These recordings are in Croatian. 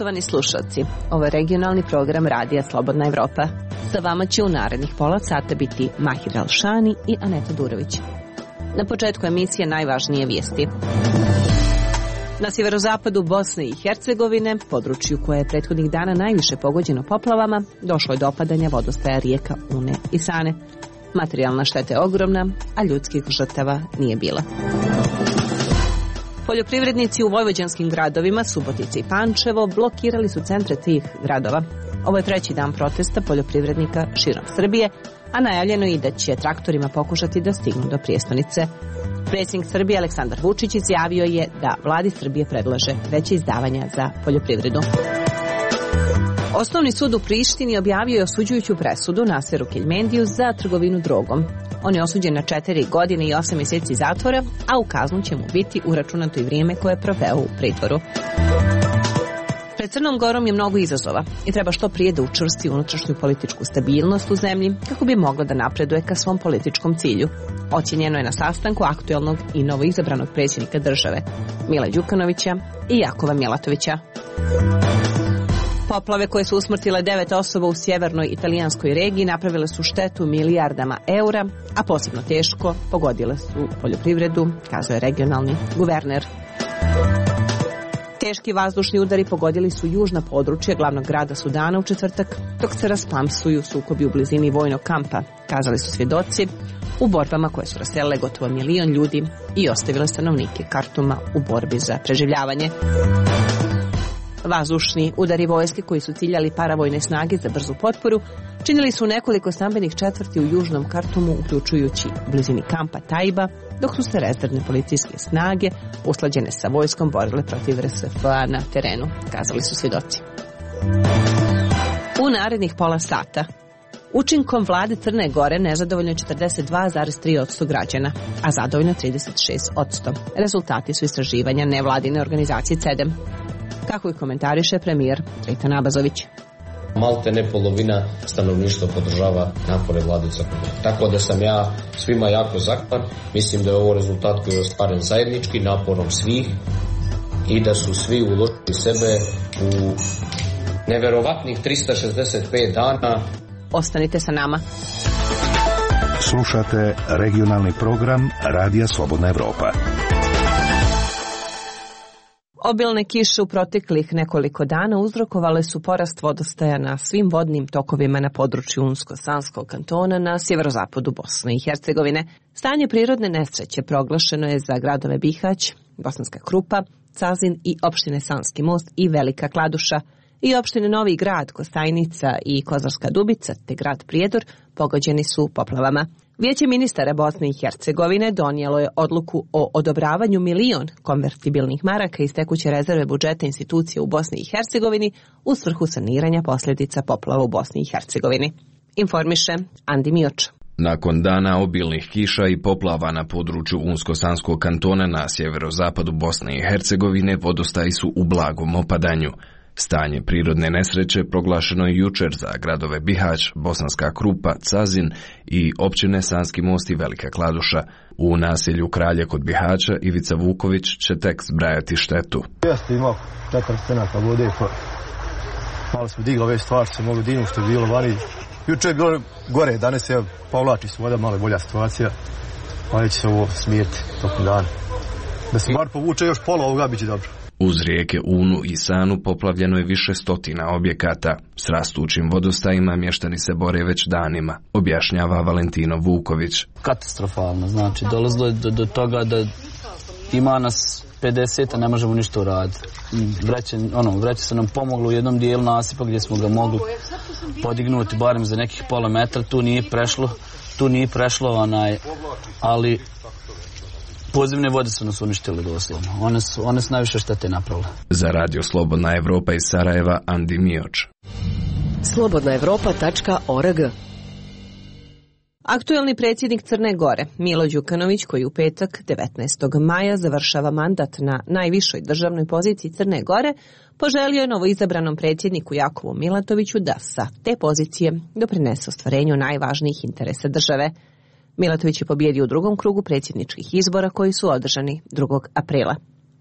Poštovani slušalci, ovo je regionalni program Radija Slobodna Evropa. Sa vama će u narednih pola sata biti Mahir Alšani i Aneta Durović. Na početku emisije najvažnije vijesti. Na sjeverozapadu Bosne i Hercegovine, području koje je prethodnih dana najviše pogođeno poplavama, došlo je do opadanja vodostaja rijeka Une i Sane. Materijalna šteta je ogromna, a ljudskih žrtava nije bilo. Poljoprivrednici u vojvođanskim gradovima Subotica i Pančevo blokirali su centre tih gradova. Ovo je treći dan protesta poljoprivrednika širom Srbije, a najavljeno je i da će traktorima pokušati da stignu do prijestonice. Predsjednik Srbije Aleksandar Vučić izjavio je da vladi Srbije predlaže veće izdavanja za poljoprivredu. Osnovni sud u Prištini objavio je osuđujuću presudu Naseru Keljmendiju za trgovinu drogom. On je osuđen na 4 godine i 8 mjeseci zatvora, a u kaznu će mu biti uračunato i vrijeme koje je proveo u pritvoru. Pred Crnom Gorom je mnogo izazova i treba što prije da učvrsti unutrašnju političku stabilnost u zemlji kako bi mogla da napreduje ka svom političkom cilju. Ocjenjeno je na sastanku aktuelnog i novoizabranog predsjednika države Mila Đukanovića i Jakova Mjelatovića. Poplave koje su usmrtile 9 osoba u sjevernoj italijanskoj regiji napravile su štetu milijardama eura, a posebno teško pogodile su poljoprivredu, kazao je regionalni guverner. Teški vazdušni udari pogodili su južna područja glavnog grada Sudana u četvrtak, dok se rasplamsuju sukobi u blizini vojnog kampa, kazali su svjedoci, u borbama koje su raselile gotovo 1 milion ljudi i ostavile stanovnike Kartuma u borbi za preživljavanje. Vazdušni udari vojske koji su ciljali paravojne snage za brzu potporu činili su nekoliko stambenih četvrti u južnom Kartumu, uključujući u blizini kampa Tajba, dok su se rezervne policijske snage usklađene sa vojskom borile protiv RSF-a na terenu, kazali su svjedoci. U narednih pola sata učinkom vlade Crne Gore nezadovoljno je 42,3% građana, a zadovoljno 36%. Rezultati su istraživanja nevladine organizacije CEDEM. Kako i komentariše premijer Dritan Abazović. Malte ne polovina stanovništva podržava napore vlade Crne Gore. Tako da sam ja svima jako zahvalan. Mislim da je ovo rezultat koji je ostvaren zajednički naporom svih i da su svi uložili sebe u neverovatnih 365 dana. Ostanite sa nama. Slušate regionalni program Radija Slobodna Evropa. Obilne kiše u proteklih nekoliko dana uzrokovale su porast vodostaja na svim vodnim tokovima na području Unsko-Sanskog kantona na sjeverozapadu Bosne i Hercegovine. Stanje prirodne nesreće proglašeno je za gradove Bihać, Bosanska Krupa, Cazin i opštine Sanski Most i Velika Kladuša, i opštine Novi Grad, Kostajnica i Kozarska Dubica te grad Prijedor pogođeni su poplavama. Vijeće ministara Bosne i Hercegovine donijelo je odluku o odobravanju 1 milion konvertibilnih maraka iz tekuće rezerve budžeta institucije u Bosni i Hercegovini u svrhu saniranja posljedica poplava u Bosni i Hercegovini. Informiše Andi Mioč. Nakon dana obilnih kiša i poplava na području Unsko-Sanskog kantona na sjeverozapadu Bosne i Hercegovine vodostaji su u blagom opadanju. Stanje prirodne nesreće proglašeno je jučer za gradove Bihać, Bosanska Krupa, Cazin i općine Sanski Most i Velika Kladuša. U naselju Kralje kod Bihaća Ivica Vuković će tek zbrajati štetu. Jeste imao 4 stenaka vode, pa malo smo digli ove stvari, se mogu dignuti što je bilo vani. Juče je bilo gore, danas se povlači se voda, malo bolja situacija, pa neće se ovo smijeti tokom dana. Da se bar povuče još pola ovoga, bit će dobro. Uz rijeke Unu i Sanu poplavljeno je više stotina objekata. S rastućim vodostajima mještani se bore već danima, objašnjava Valentino Vuković. Katastrofalno, znači dolazilo je do toga da ima nas 50, a ne možemo ništa uraditi. Vreće se nam pomoglo u jednom dijelu nasipa gdje smo ga mogli podignuti barem za nekih pola metra, tu nije prešlo, ali podzemne vode su nas uništile doslovno. One su najviše štete napravile. Za Radio Slobodna Evropa iz Sarajeva, Andi Mioč. slobodnaevropa.org. Aktuelni predsjednik Crne Gore, Milo Đukanović, koji u petak 19. maja završava mandat na najvišoj državnoj poziciji Crne Gore, poželio je novoizabranom predsjedniku Jakovu Milatoviću da sa te pozicije doprinese ostvarenju najvažnijih interesa države. Milatović je pobjedio u drugom krugu predsjedničkih izbora koji su održani 2. aprila.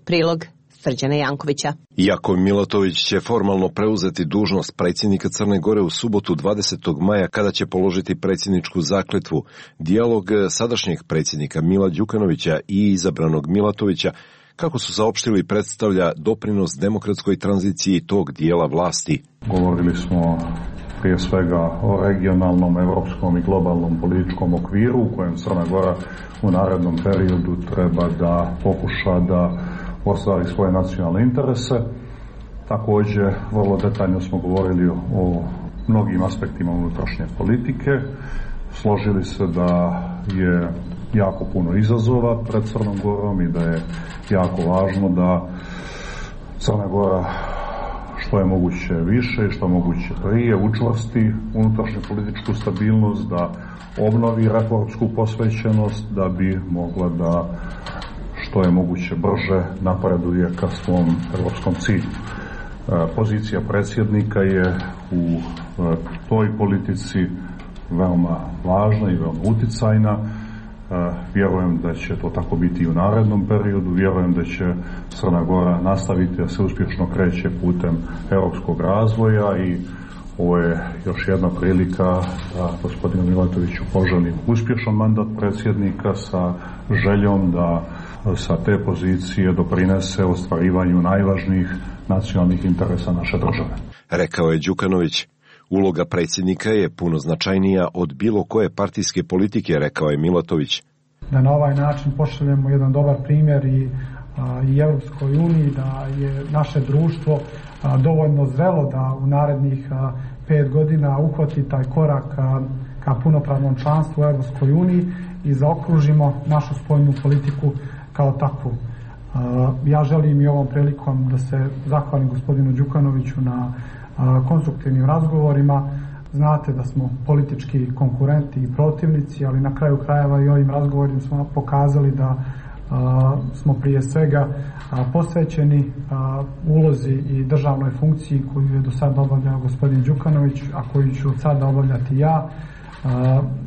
Prilog Srđana Jankovića. Iako Milatović će formalno preuzeti dužnost predsjednika Crne Gore u subotu 20. maja kada će položiti predsjedničku zakletvu, dijalog sadašnjeg predsjednika Mila Đukanovića i izabranog Milatovića, kako su saopštili, predstavlja doprinos demokratskoj tranziciji tog dijela vlasti. Govorili smo prije svega o regionalnom, evropskom i globalnom političkom okviru u kojem Crna Gora u narednom periodu treba da pokuša da ostvari svoje nacionalne interese. Također, vrlo detaljno smo govorili o mnogim aspektima unutrašnje politike. Složili se da je jako puno izazova pred Crnom Gorom i da je jako važno da Crna Gora što je moguće više i što je moguće prije učvrsti unutrašnju političku stabilnost, da obnovi reformsku posvećenost, da bi mogla da što je moguće brže napreduje ka svom evropskom cilju. Pozicija predsjednika je u toj politici veoma važna i veoma uticajna. Vjerujem da će to tako biti i u narednom periodu. Vjerujem da će Crna Gora nastaviti da se uspješno kreće putem europskog razvoja i ovo je još jedna prilika da gospodinu Milatoviću poželim uspješan mandat predsjednika sa željom da sa te pozicije doprinese ostvarivanju najvažnijih nacionalnih interesa naše države. Rekao je Đukanović. Uloga predsjednika je puno značajnija od bilo koje partijske politike, rekao je Milatović. Da na ovaj način pošaljemo jedan dobar primjer i Europskoj uniji, da je naše društvo dovoljno zrelo da u narednih 5 godina uhvati taj korak ka punopravnom članstvu u Europskoj uniji i zaokružimo našu spoljnu politiku kao takvu. Ja želim i ovom prilikom da se zahvalim gospodinu Đukanoviću na konstruktivnim razgovorima. Znate da smo politički konkurenti i protivnici, ali na kraju krajeva i ovim razgovorima smo pokazali da smo prije svega posvećeni ulozi i državnoj funkciji koju je do sada obavljao gospodin Đukanović, a koju ću od sada obavljati ja.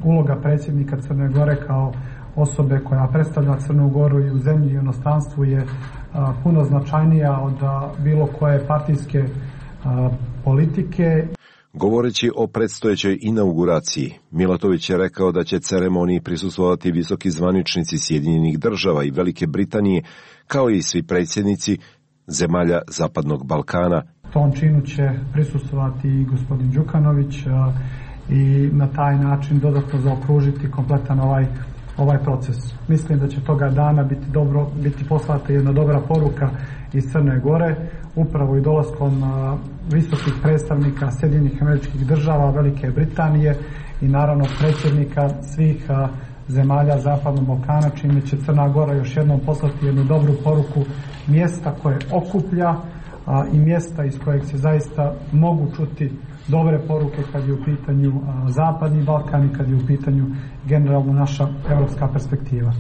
Uloga predsjednika Crne Gore kao osobe koja predstavlja Crnu Goru i u zemlji i u inostranstvu je puno značajnija od bilo koje partijske politike. Govoreći o predstojećoj inauguraciji, Milatović je rekao da će ceremoniji prisustvovati visoki zvaničnici Sjedinjenih Država i Velike Britanije, kao i svi predsjednici zemalja Zapadnog Balkana. Tom činu će prisustvovati i gospodin Đukanović i na taj način dodatno zaokružiti kompletan ovaj proces. Mislim da će toga dana biti poslata jedna dobra poruka iz Crne Gore, upravo i dolaskom visokih predstavnika Sjedinjenih Američkih Država, Velike Britanije i naravno predsjednika svih zemalja Zapadnog Balkana, čime će Crna Gora još jednom poslati jednu dobru poruku mjesta koje okuplja i mjesta iz kojeg se zaista mogu čuti dobre poruke kad je u pitanju Zapadni Balkan i kad je u pitanju generalno naša evropska perspektiva.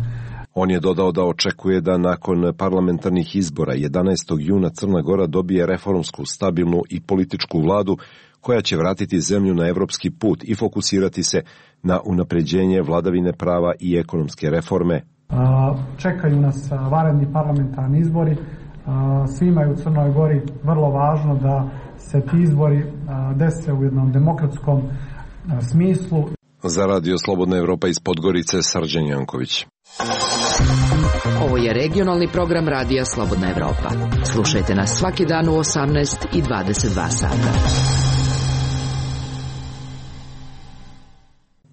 On je dodao da očekuje da nakon parlamentarnih izbora 11. juna Crna Gora dobije reformsku, stabilnu i političku vladu koja će vratiti zemlju na evropski put i fokusirati se na unapređenje vladavine prava i ekonomske reforme. Čekaju nas vanredni parlamentarni izbori. Svima je u Crnoj Gori vrlo važno da se ti izbori dese u jednom demokratskom smislu. Za Radio Slobodna Evropa iz Podgorice, Srđan Janković. Ovo je regionalni program Radija Slobodna Evropa. Slušajte nas svaki dan u 18 i 22 sata.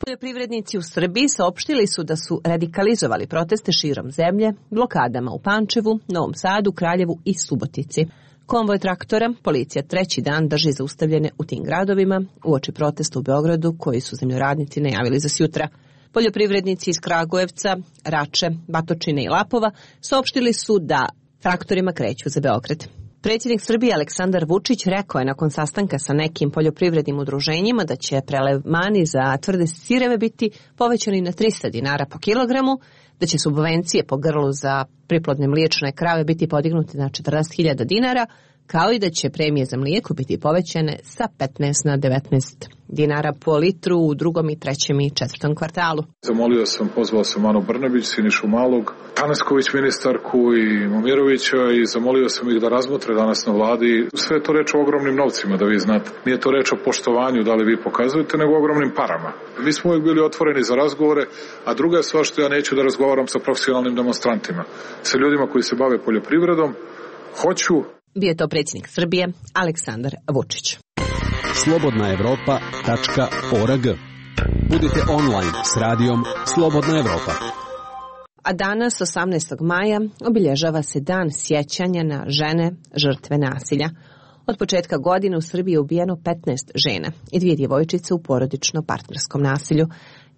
Poljoprivrednici u Srbiji saopštili su da su radikalizovali proteste širom zemlje, blokadama u Pančevu, Novom Sadu, Kraljevu i Subotici. Konvoj traktora policija treći dan drži zaustavljene u tim gradovima uoči protesta u Beogradu koji su zemljoradnici najavili za sjutra. Poljoprivrednici iz Kragujevca, Rače, Batočine i Lapova saopštili su da traktorima kreću za Beograd. Predsjednik Srbije Aleksandar Vučić rekao je nakon sastanka sa nekim poljoprivrednim udruženjima da će prelevmani za tvrde sireve biti povećani na 300 dinara po kilogramu, da će subvencije po grlu za priplodne mliječne krave biti podignuti na 40.000 dinara, kao i da će premije za mlijeko biti povećane sa 15 na 19 dinara po litru u drugom i trećem i četvrtom kvartalu. Pozvao sam Anu Brnabić, Sinišu Malog, Tanasković ministarku i Momirovića i zamolio sam ih da razmotre danas na vladi. Sve je to reč o ogromnim novcima, da vi znate. Nije to reč o poštovanju, da li vi pokazujete, nego o ogromnim parama. Mi smo uvijek bili otvoreni za razgovore, a druga je stvar što ja neću da razgovaram sa profesionalnim demonstrantima. Sa ljudima koji se bave poljoprivredom, hoću. Bio je to predsjednik Srbije, Aleksandar Vučić. slobodnaevropa.org. Budite online s radijom Slobodna Evropa. A danas, 18. maja, obilježava se dan sjećanja na žene žrtve nasilja. Od početka godine u Srbiji je ubijeno 15 žena i 2 djevojčice u porodično-partnerskom nasilju.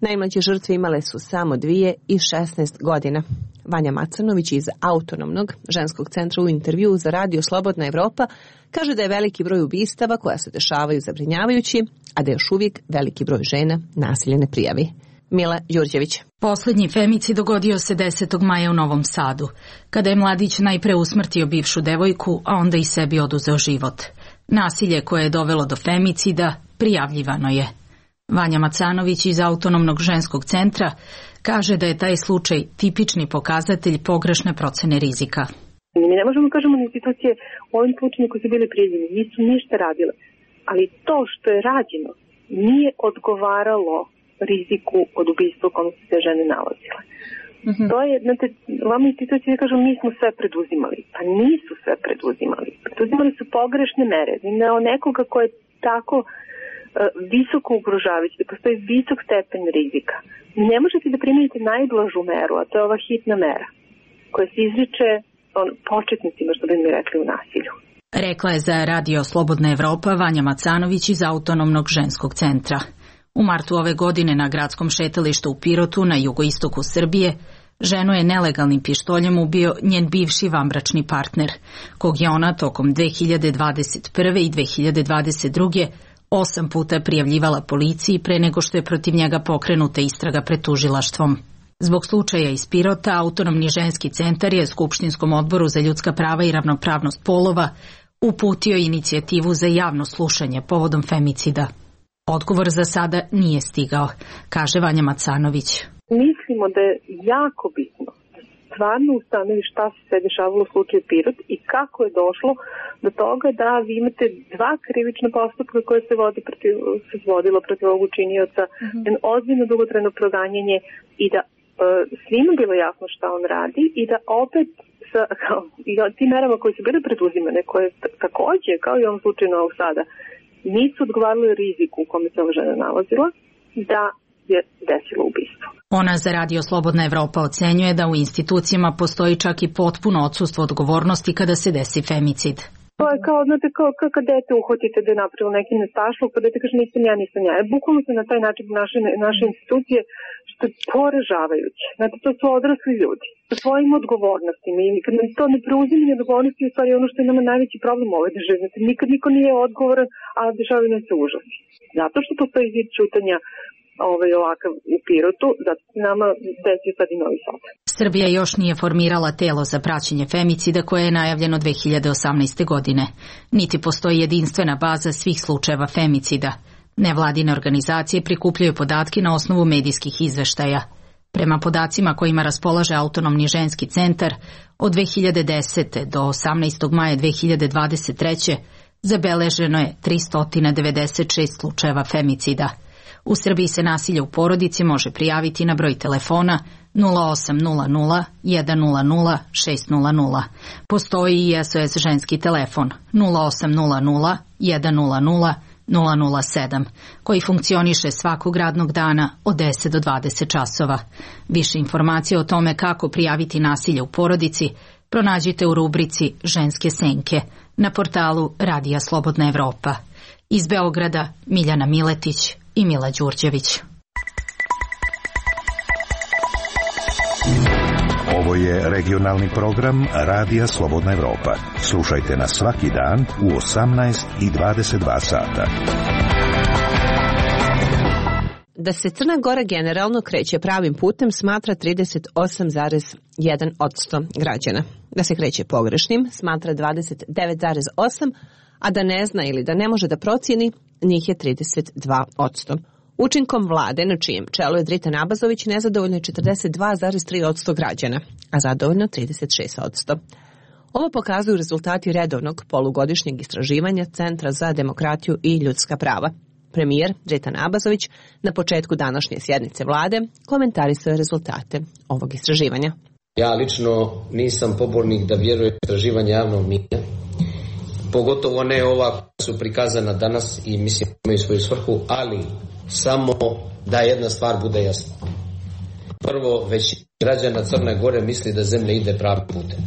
Najmlađe žrtve imale su samo 2 i 16 godina. Vanja Macanović iz Autonomnog ženskog centra u intervjuu za radio Slobodna Evropa kaže da je veliki broj ubistava koja se dešavaju zabrinjavajući, a da još uvijek veliki broj žena nasilje ne prijavi. Mila Đurđević. Poslednji femicid dogodio se 10. maja u Novom Sadu, kada je mladić najpre usmrtio bivšu devojku, a onda i sebi oduzeo život. Nasilje koje je dovelo do femicida prijavljivano je. Vanja Macanović iz Autonomnog ženskog centra kaže da je taj slučaj tipični pokazatelj pogrešne procene rizika. Mi ne možemo kažemo na institucije u ovim slučajima koji su bili prijavljeni, nisu ništa radile, ali to što je rađeno nije odgovaralo riziku od ubistva u kome su se žene nalazile. To je, znate, vam institucije kažu mi smo sve preduzimali, pa nisu sve preduzimali. Preduzimali su pogrešne mere. Nekoga ko je tako visoko ugrožavajući, da postoji visok stepen rizika. Ne možete da primenite najblažu meru, a to je ova hitna mera, koja se izriče početnicima, što bi mi rekli, u nasilju. Rekla je za radio Slobodna Evropa Vanja Macanović iz Autonomnog ženskog centra. U martu ove godine na gradskom šetalištu u Pirotu na jugoistoku Srbije ženu je nelegalnim pištoljem ubio njen bivši vanbračni partner, kog je ona tokom 2021. i 2022. 8 puta prijavljivala policiji pre nego što je protiv njega pokrenuta istraga pred tužilaštvom. Zbog slučaja iz Pirota, Autonomni ženski centar je Skupštinskom odboru za ljudska prava i ravnopravnost polova uputio inicijativu za javno slušanje povodom femicida. Odgovor za sada nije stigao, kaže Vanja Macanović. Mislimo da je jako bitno stvarno ustanovi šta se sve dešavalo u slučaju Pirot i kako je došlo do toga da vi imate 2 krivična postupka koje se vodilo protiv ovog učinioca, ozbiljno dugotrajno proganjanje i da svima bilo jasno šta on radi i da opet i tim merama koje su bile preduzimane, koje takođe, kao i u ovom slučaju Novog Sada, nisu odgovarali riziku u kome se ova žena nalazila, da je desilo ubistvo. Ona za radio Slobodna Evropa ocenjuje da u institucijama postoji čak i potpuno odsustvo odgovornosti kada se desi femicid. To je kao, znate, kao kad dete uhvatite da je napravilo neki nestašluk, pa dete kaže nisam ja. Bukvalno se na taj način naše institucije, što je poražavajuće. Znate, to su odrasli ljudi sa svojim odgovornostima i kad nam to ne preuzimanje odgovornosti, u stvari ono što je nama najveći problem u ovoj državi. Znate, nikad niko nije odgovoran, a dešavaju nam se užasi. Zato što postoji zid čutanja ovakav u Pirotu, zato se nama desio sad i Novi Sad. Srbija još nije formirala telo za praćenje femicida koje je najavljeno 2018. godine. Niti postoji jedinstvena baza svih slučajeva femicida. Nevladine organizacije prikupljaju podatke na osnovu medijskih izveštaja. Prema podacima kojima raspolaže Autonomni ženski centar, od 2010. do 18. maja 2023. zabeleženo je 396 slučajeva femicida. U Srbiji se nasilje u porodici može prijaviti na broj telefona 0800 100 600. Postoji i SOS ženski telefon 0800 100 007, koji funkcioniše svakog radnog dana od 10 do 20 časova. Više informacije o tome kako prijaviti nasilje u porodici pronađite u rubrici Ženske senke na portalu Radija Slobodna Evropa. Iz Beograda Miljana Miletić i Mila Đurđević. Ovo je regionalni program Radija Slobodna Evropa. Slušajte nas svaki dan u 18 i 22 sata. Da se Crna Gora generalno kreće pravim putem smatra 38,1% građana. Da se kreće pogrešnim smatra 29,8%, a da ne zna ili da ne može da procijeni njih je 32%. Učinkom vlade, na čijem čelu je Dritan Abazović, nezadovoljno je 42,3% građana, a zadovoljno 36%. Ovo pokazuju rezultati redovnog polugodišnjeg istraživanja Centra za demokratiju i ljudska prava. Premijer Dritan Abazović na početku današnje sjednice vlade komentarisao je rezultate ovog istraživanja. Ja lično nisam pobornik da vjerujem istraživanje javnog mnijenja, pogotovo ne ova koja su prikazana danas i mislim da imaju svoju svrhu, ali samo da jedna stvar bude jasna. Prvo, većina građana Crne Gore misli da zemlja ide pravim putem.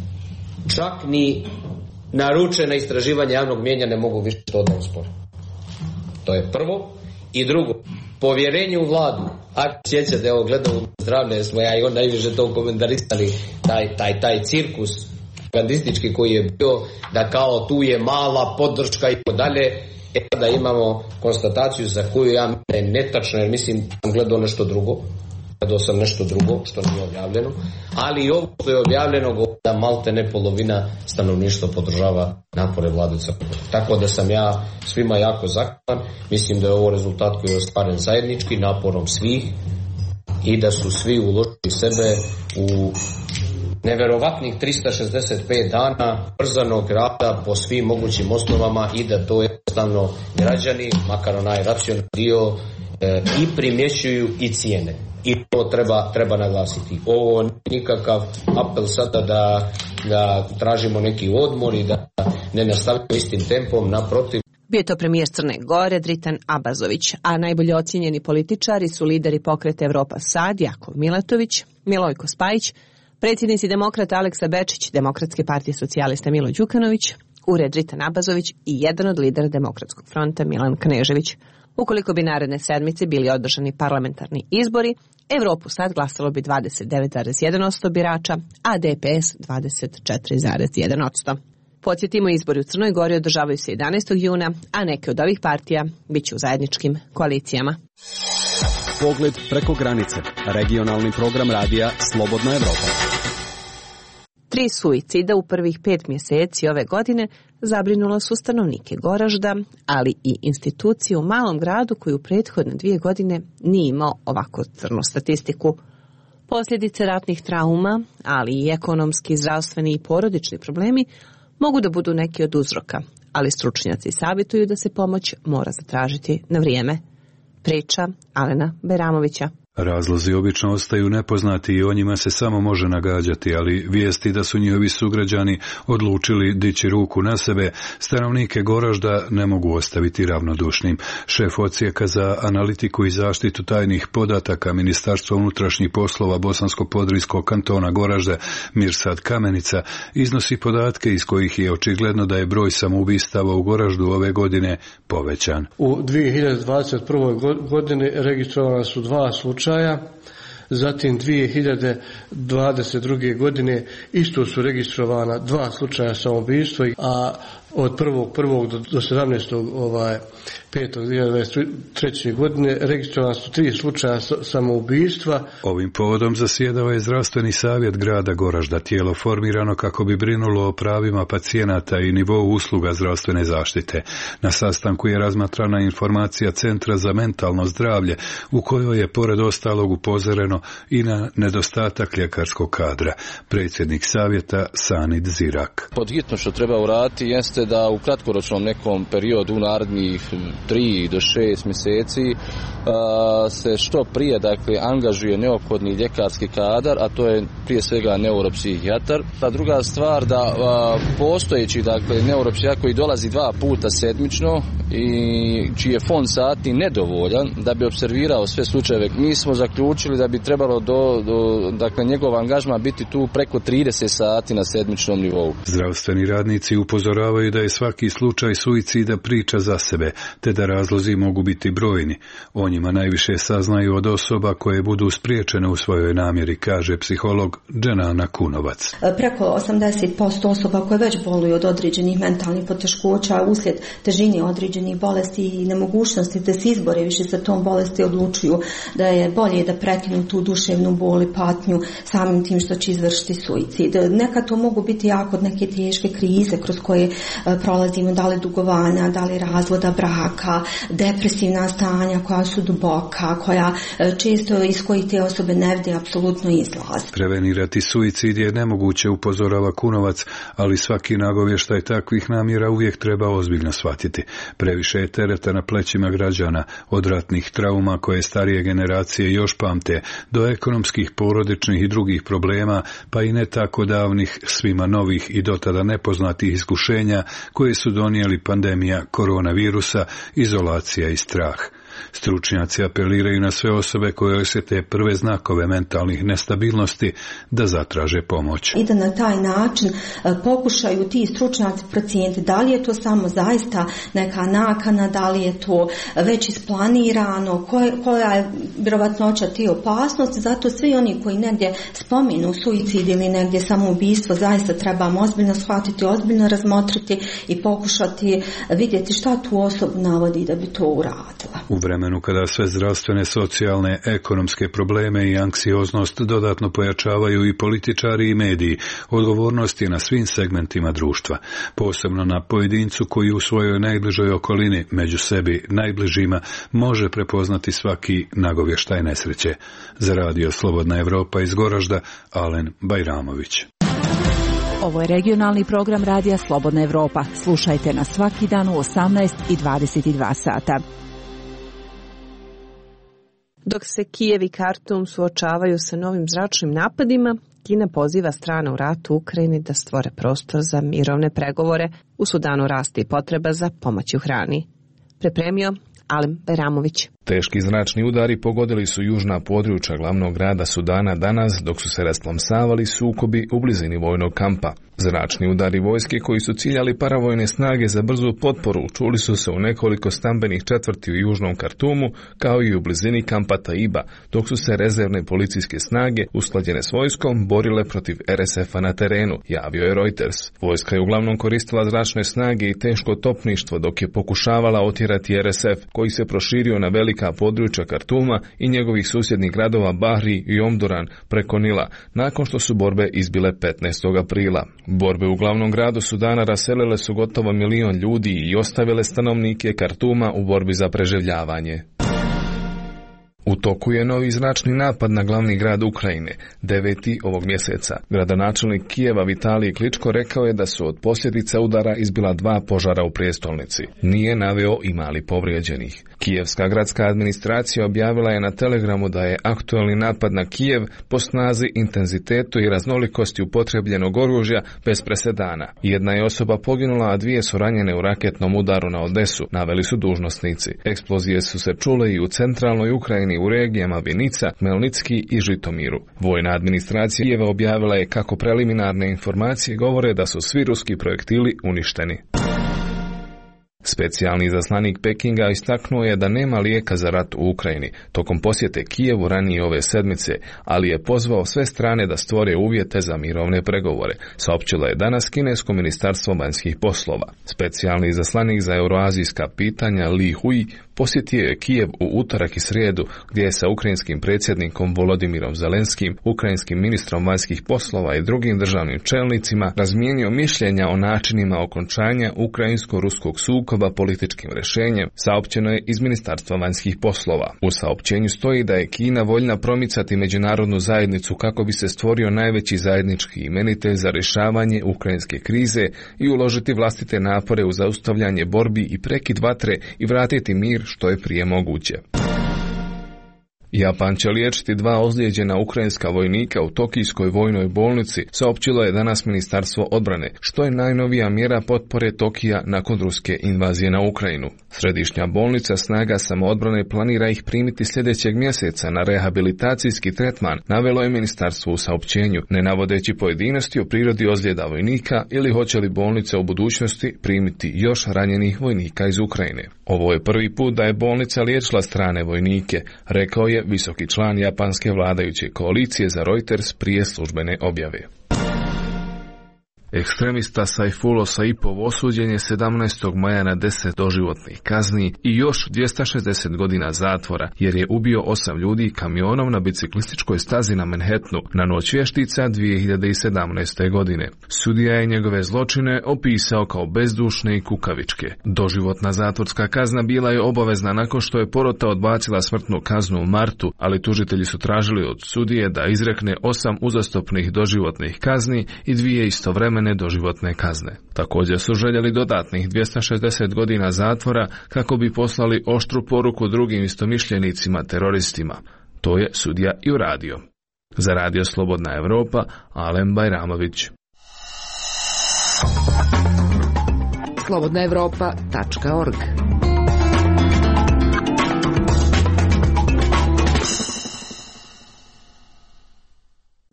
Čak ni naručena istraživanja javnog mnijenja ne mogu više to da uspore. To je prvo. I drugo, povjerenje u vladu. Ako sjećate, evo gledamo zdravlje, smo ja i on najviše to komentarisali, taj cirkus propagandistički koji je bio, da kao tu je mala podrška i dalje, da imamo konstataciju za koju ja mislim da je netačna, jer mislim da sam gledao nešto drugo. Gledao sam nešto drugo što nije objavljeno, ali i ovo što je objavljeno da malte ne polovina stanovništva podržava napore vlade Crne Gore. Tako da sam ja svima jako zahvalan. Mislim da je ovo rezultat koji je ostvaren zajednički naporom svih i da su svi uložili sebe u neverovatnih 365 dana brzanog rada po svim mogućim osnovama i da to jednostavno građani, makar onaj racionalni dio, i primjećuju i cijene. I to treba naglasiti. Ovo nije nikakav apel sada da tražimo neki odmor i da ne nastavimo istim tempom, naprotiv. Bio je to premijer Crne Gore Dritan Abazović, a najbolje ocijenjeni političari su lideri pokreta Evropa Sad, Jakov Milatović, Milojko Spajić, predsjednici demokrata Aleksa Bečić, Demokratske partije socijalista Milo Đukanović, ured Dritan Abazović i jedan od lidera Demokratskog fronta Milan Knežević. Ukoliko bi naredne sedmice bili održani parlamentarni izbori, Evropu Sad glasalo bi 29,1% birača, a DPS 24,1%. Podsjetimo, izbori u Crnoj Gori održavaju se 11. juna, a neke od ovih partija bit će u zajedničkim koalicijama. Pogled preko granice. Regionalni program radija Slobodna Evropa. 3 suicida u prvih 5 mjeseci ove godine zabrinula su stanovnike Goražda, ali i institucije u malom gradu koji u prethodne 2 godine nije imao ovako crnu statistiku. Posljedice ratnih trauma, ali i ekonomski, zdravstveni i porodični problemi mogu da budu neki od uzroka, ali stručnjaci savjetuju da se pomoć mora zatražiti na vrijeme. Priča Alena Beramovića. Razlozi obično ostaju nepoznati i o njima se samo može nagađati, ali vijesti da su njihovi sugrađani odlučili dići ruku na sebe, stanovnike Goražda ne mogu ostaviti ravnodušnim. Šef odsjeka za analitiku i zaštitu tajnih podataka Ministarstva unutrašnjih poslova Bosansko-Podrijskog kantona Goražde Mirsad Kamenica iznosi podatke iz kojih je očigledno da je broj samoubistava u Goraždu ove godine povećan. U 2021. godini registrovana su 2 slučaja. Zatim 2022. godine isto su registrovana 2 slučaja samoubistva, a od 1.1. do 17.5.2023. godine registrovana su 3 slučaja samoubistva. Ovim povodom zasjedao je zdravstveni savjet grada Goražda, tijelo formirano kako bi brinulo o pravima pacijenata i nivou usluga zdravstvene zaštite. Na sastanku je razmatrana informacija Centra za mentalno zdravlje, u kojoj je pored ostalog upozoreno i na nedostatak ljekarskog kadra. Predsjednik savjeta Sanid Zirak. Pod hitno što treba uraditi jeste da u kratkoročnom nekom periodu u narednih 3 do 6 mjeseci se što prije angažuje neophodni ljekarski kadar, a to je prije svega neuropsihijatar. Ta druga stvar da postojeći neuropsihijatar koji dolazi 2 puta sedmično i čiji je fond sati nedovoljan da bi observirao sve slučajeve, mi smo zaključili da bi trebalo njegov angažman biti tu preko 30 sati na sedmičnom nivou. Zdravstveni radnici upozoravaju da je svaki slučaj suicida priča za sebe, te da razlozi mogu biti brojni. O njima najviše saznaju od osoba koje budu spriječene u svojoj namjeri, kaže psiholog Dženana Kunovac. Preko 80% osoba koje već boluju od određenih mentalnih poteškoća uslijed težine određenih određenih bolesti i nemogućnosti da se izbore više sa tom bolesti, odlučuju da je bolje da prekinu tu duševnu bol i patnju samim tim što će izvršiti suicid. Nekad to mogu biti jako neke teške krize kroz koje prolazimo, da li dugovanja, da li razvoda braka, depresivna stanja koja su duboka, koja često iz kojih te osobe ne vide apsolutno izlaz. Prevenirati suicid je nemoguće, upozorava Kunovac, ali svaki nagovještaj takvih namjera uvijek treba ozbiljno shvatiti. Previše je tereta na plećima građana, od ratnih trauma koje starije generacije još pamte, do ekonomskih, porodičnih i drugih problema, pa i ne tako davnih, svima novih i dotada nepoznatih iskušenja koje su donijeli pandemija koronavirusa, izolacija i strah. Stručnjaci apeliraju na sve osobe koje osjete prve znakove mentalnih nestabilnosti da zatraže pomoć. I da na taj način pokušaju ti stručnjaci procijeniti da li je to samo zaista neka nakana, da li je to već isplanirano, koja je vjerovatnoća te opasnosti. Zato svi oni koji negdje spominu suicid ili negdje samoubistvo zaista trebamo ozbiljno shvatiti, ozbiljno razmotriti i pokušati vidjeti šta tu osobu navodi da bi to uradila. U vremenu kada sve zdravstvene, socijalne, ekonomske probleme i anksioznost dodatno pojačavaju i političari i mediji, odgovornost je na svim segmentima društva, posebno na pojedincu koji u svojoj najbližoj okolini, među sebi najbližima, može prepoznati svaki nagovještaj nesreće. Za Radio Slobodna Evropa iz Goražda, Alen Bajramović. Ovo je regionalni program Radija Slobodna Evropa. Slušajte nas svaki dan u 18 i 22 sata. Dok se Kijev i Kartum suočavaju sa novim zračnim napadima, Kina poziva strane u ratu u Ukrajini da stvore prostor za mirovne pregovore. U Sudanu raste i potreba za pomoć u hrani. Pripremio Alen Bajramović. Teški zračni udari pogodili su južna područja glavnog grada Sudana danas, dok su se rasplamsavali sukobi u blizini vojnog kampa. Zračni udari vojske koji su ciljali paravojne snage za brzu potporu čuli su se u nekoliko stambenih četvrti u južnom Kartumu, kao i u blizini kampa Taiba, dok su se rezervne policijske snage usklađene s vojskom borile protiv RSF-a na terenu, javio je Reuters. Vojska je uglavnom koristila zračne snage i teško topništvo dok je pokušavala otjerati RSF, koji se proširio na velika područja Kartuma i njegovih susjednih gradova Bahri i Omduran preko Nila, nakon što su borbe izbile 15. aprila. Borbe u glavnom gradu Sudana raselile su gotovo 1 milion ljudi i ostavile stanovnike Kartuma u borbi za preživljavanje. U toku je novi zračni napad na glavni grad Ukrajine, 9. ovog mjeseca. Gradonačelnik Kijeva Vitalij Kličko rekao je da su od posljedica udara izbila 2 požara u prijestolnici. Nije naveo ima li povrijeđenih. Kijevska gradska administracija objavila je na Telegramu da je aktualni napad na Kijev po snazi, intenzitetu i raznolikosti upotrebljenog oružja bez presedana. Jedna je osoba poginula, a 2 su ranjene u raketnom udaru na Odesu, naveli su dužnosnici. Eksplozije su se čule i u centralnoj Ukrajini, u regijama Vinica, Melnicki i Žitomiru. Vojna administracija Kijeva objavila je kako preliminarne informacije govore da su svi ruski projektili uništeni. Specijalni izaslanik Pekinga istaknuo je da nema lijeka za rat u Ukrajini tokom posjete Kijevu ranije ove sedmice, ali je pozvao sve strane da stvore uvjete za mirovne pregovore, saopćilo je danas kinesko ministarstvo vanjskih poslova. Specijalni izaslanik za euroazijska pitanja Li Hui posjetio je Kijev u utorak i srijedu, gdje je sa ukrajinskim predsjednikom Volodimirom Zelenskim, ukrajinskim ministrom vanjskih poslova i drugim državnim čelnicima razmijenio mišljenja o načinima okončanja ukrajinsko-ruskog sukoba političkim rješenjem, saopćeno je iz Ministarstva vanjskih poslova. U saopćenju stoji da je Kina voljna promicati međunarodnu zajednicu kako bi se stvorio najveći zajednički imenitelj za rješavanje ukrajinske krize i uložiti vlastite napore u zaustavljanje borbi i prekid vatre i vratiti mir što je prije moguće. Japan će liječiti 2 ozlijeđena ukrajinska vojnika u Tokijskoj vojnoj bolnici, saopćilo je danas Ministarstvo odbrane, što je najnovija mjera potpore Tokija nakon ruske invazije na Ukrajinu. Središnja bolnica snaga samoodbrane planira ih primiti sljedećeg mjeseca na rehabilitacijski tretman, navelo je ministarstvo u saopćenju, ne navodeći pojedinosti o prirodi ozljeda vojnika ili hoće li bolnica u budućnosti primiti još ranjenih vojnika iz Ukrajine. Ovo je prvi put da je bolnica liječila strane vojnike, rekao je visoki član japanske vladajuće koalicije za Reuters prije službene objave. Ekstremista Saifullo Saipov osuđen je 17. maja na 10 doživotnih kazni i još 260 godina zatvora jer je ubio 8 ljudi kamionom na biciklističkoj stazi na Manhattanu na noć vještica 2017. godine. Sudija je njegove zločine opisao kao bezdušne i kukavičke. Doživotna zatvorska kazna bila je obavezna nakon što je porota odbacila smrtnu kaznu u martu, ali tužitelji su tražili od sudije da izrekne 8 uzastopnih doživotnih kazni i 2 istovremene doživotne kazne. Također su željeli dodatnih 260 godina zatvora kako bi poslali oštru poruku drugim istomišljenicima teroristima. To je sudija i uradio. Za Radio Slobodna Evropa, Alen Bajramović. slobodnaevropa.org.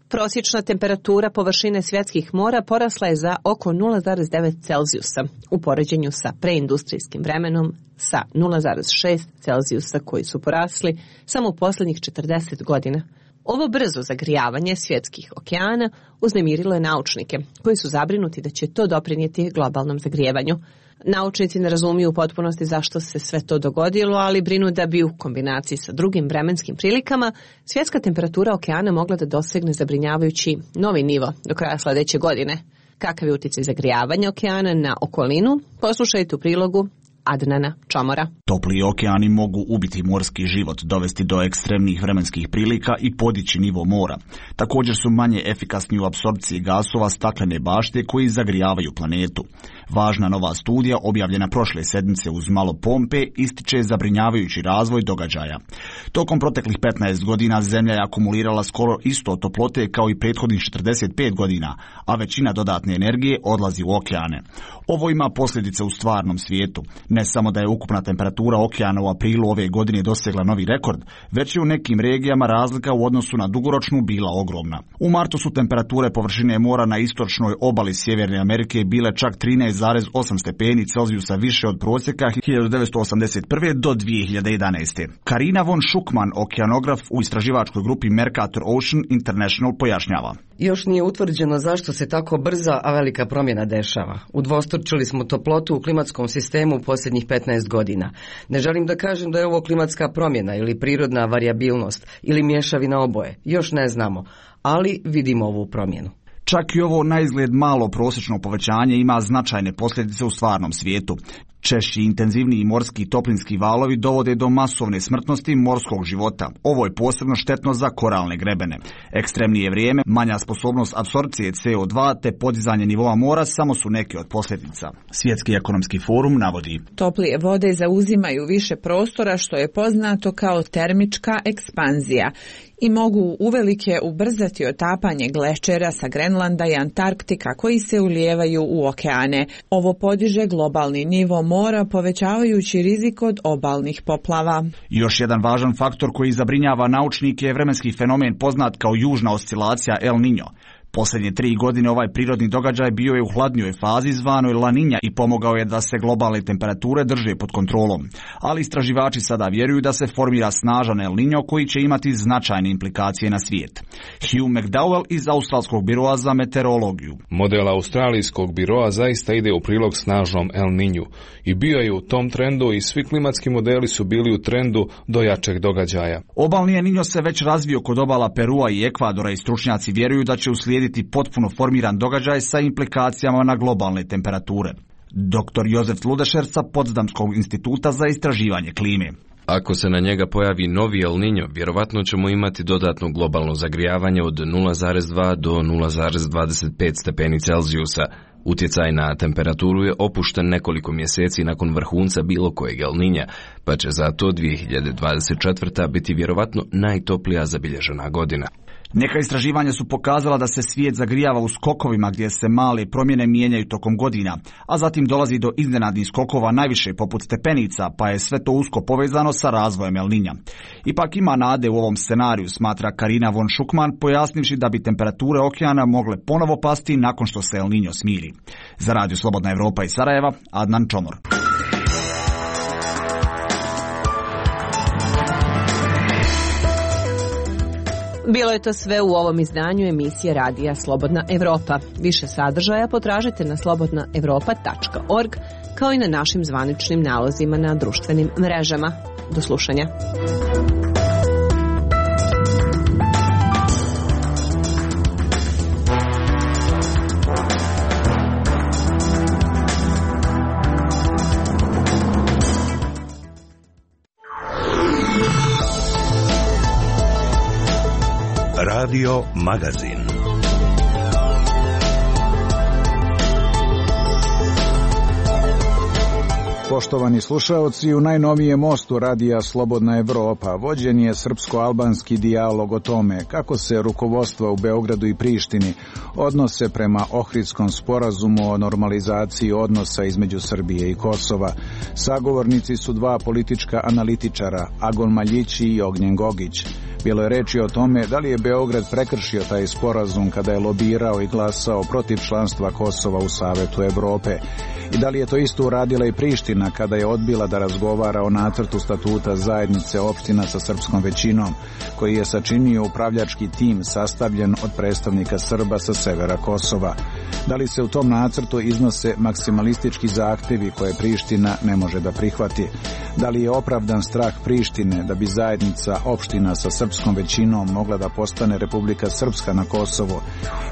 Prosječna temperatura površine svjetskih mora porasla je za oko 0,9 Celzijusa u poređenju sa preindustrijskim vremenom sa 0,6 Celzijusa koji su porasli samo u posljednjih 40 godina. Ovo brzo zagrijavanje svjetskih okeana uznemirilo je naučnike koji su zabrinuti da će to doprinijeti globalnom zagrijevanju. Naučnici ne razumiju u potpunosti zašto se sve to dogodilo, ali brinu da bi u kombinaciji sa drugim vremenskim prilikama svjetska temperatura okeana mogla da dosegne zabrinjavajući novi nivo do kraja sljedeće godine. Kakav je utjecaj zagrijavanja okeana na okolinu? Poslušajte u prilogu Adnana Čomora. Topli okeani mogu ubiti morski život, dovesti do ekstremnih vremenskih prilika i podići nivo mora. Također su manje efikasni u apsorpciji gasova staklene bašte koji zagrijavaju planetu. Važna nova studija, objavljena prošle sedmice uz malo pompe, ističe zabrinjavajući razvoj događaja. Tokom proteklih 15 godina Zemlja je akumulirala skoro isto toplote kao i prethodnih 45 godina, a većina dodatne energije odlazi u okeane. Ovo ima posljedice u stvarnom svijetu. Ne samo da je ukupna temperatura okeana u aprilu ove godine dosegla novi rekord, već je u nekim regijama razlika u odnosu na dugoročnu bila ogromna. U martu su temperature površine mora na istočnoj obali Sjeverne Amerike bile čak 13,8 stepeni Celzijusa više od prosjeka 1981. do 2011. Karina von Schuckmann, okeanograf u istraživačkoj grupi Mercator Ocean International, pojašnjava. Još nije utvrđeno zašto se tako brza, a velika promjena dešava. Udvostručili smo toplotu u klimatskom sistemu u posljednjih 15 godina. Ne želim da kažem da je ovo klimatska promjena ili prirodna varijabilnost ili mješavina oboje. Još ne znamo, ali vidimo ovu promjenu. Čak i ovo na izgled malo prosječno povećanje ima značajne posljedice u stvarnom svijetu. Češći i intenzivniji morski toplinski valovi dovode do masovne smrtnosti morskog života. Ovo je posebno štetno za koralne grebene. Ekstremnije vrijeme, manja sposobnost apsorpcije CO2 te podizanje nivoa mora samo su neke od posljedica. Svjetski ekonomski forum navodi: toplije vode zauzimaju više prostora što je poznato kao termička ekspanzija i mogu uvelike ubrzati otapanje glečera sa Grenlanda i Antarktika koji se ulijevaju u okeane. Ovo podiže globalni nivo mora povećavajući rizik od obalnih poplava. Još jedan važan faktor koji zabrinjava naučnike je vremenski fenomen poznat kao južna oscilacija El Niño. Posljednje 3 godine ovaj prirodni događaj bio je u hladnijoj fazi zvanoj La Niña i pomogao je da se globalne temperature drže pod kontrolom. Ali istraživači sada vjeruju da se formira snažan El Niño koji će imati značajne implikacije na svijet. Hugh McDowell iz Australskog biroa za meteorologiju. Model Australijskog biroa zaista ide u prilog snažnom El Niñu i bio je u tom trendu i svi klimatski modeli su bili u trendu do jačeg događaja. Obalni El Niño se već razvio kod obala Perua i Ekvadora i stručnjaci vjeruju da će uslijediti potpuno formiran događaj sa implikacijama na globalne temperature. Dr. Jozef Ludešer sa Potsdamskog instituta za istraživanje klime. Ako se na njega pojavi novi El Niño, vjerovatno ćemo imati dodatno globalno zagrijavanje od 0,2 do 0,25 stepeni Celzijusa. Utjecaj na temperaturu je opušten nekoliko mjeseci nakon vrhunca bilo kojeg El Niña, pa će zato 2024. biti vjerovatno najtoplija zabilježena godina. Neka istraživanja su pokazala da se svijet zagrijava u skokovima gdje se male promjene mijenjaju tokom godina, a zatim dolazi do iznenadnih skokova najviše poput stepenica, pa je sve to usko povezano sa razvojem El Niña. Ipak ima nade u ovom scenariju, smatra Karina von Schuckmann, pojasnivši da bi temperature okeana mogle ponovo pasti nakon što se El Niño smiri. Za Radio Slobodna Evropa iz Sarajeva, Adnan Čomor. Bilo je to sve u ovom izdanju emisije Radija Slobodna Evropa. Više sadržaja potražite na slobodnaevropa.org kao i na našim zvaničnim nalozima na društvenim mrežama. Do slušanja. Radio Magazin. Poštovani slušaoci, u najnovijem mostu Radija Slobodna Evropa vođen je srpsko-albanski dijalog o tome kako se rukovodstva u Beogradu i Prištini odnose prema Ohridskom sporazumu o normalizaciji odnosa između Srbije i Kosova. Sagovornici su dva politička analitičara, Agon Maljići i Ognjen Gogić. Bilo je reči o tome da li je Beograd prekršio taj sporazum kada je lobirao i glasao protiv članstva Kosova u Savetu Evrope i da li je to isto uradila i Priština kada je odbila da razgovara o nacrtu statuta zajednice opština sa srpskom većinom, koji je sačinio upravljački tim sastavljen od predstavnika Srba sa severa Kosova. Da li se u tom nacrtu iznose maksimalistički zahtevi koje Priština ne može da prihvati? Da li je opravdan strah Prištine da bi zajednica opština sa srpskom većinom mogla da postane Republika Srpska na Kosovu?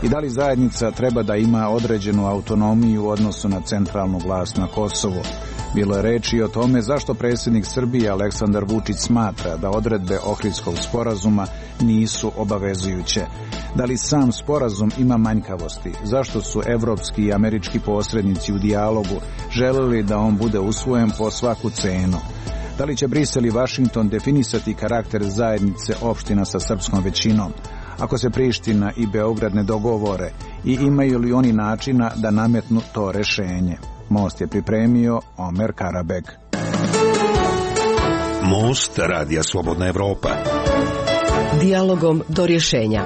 I da li zajednica treba da ima određenu autonomiju u odnosu na centralnu vlast na Kosovu? Bilo je reči o tome zašto predsjednik Srbije Aleksandar Vučić smatra da odredbe Ohridskog sporazuma nisu obavezujuće. Da li sam sporazum ima manjkavosti? Zašto su evropski i američki posrednici u dijalogu želeli da on bude usvojen po svaku cenu? Da li će Brisel i Vašington definisati karakter zajednice opština sa srpskom većinom? Ako se Priština i Beograd ne dogovore i imaju li oni načina da nametnu to rešenje? Most je pripremio Omer Karabek. Most Radija Slobodna Evropa. Dijalogom do rješenja.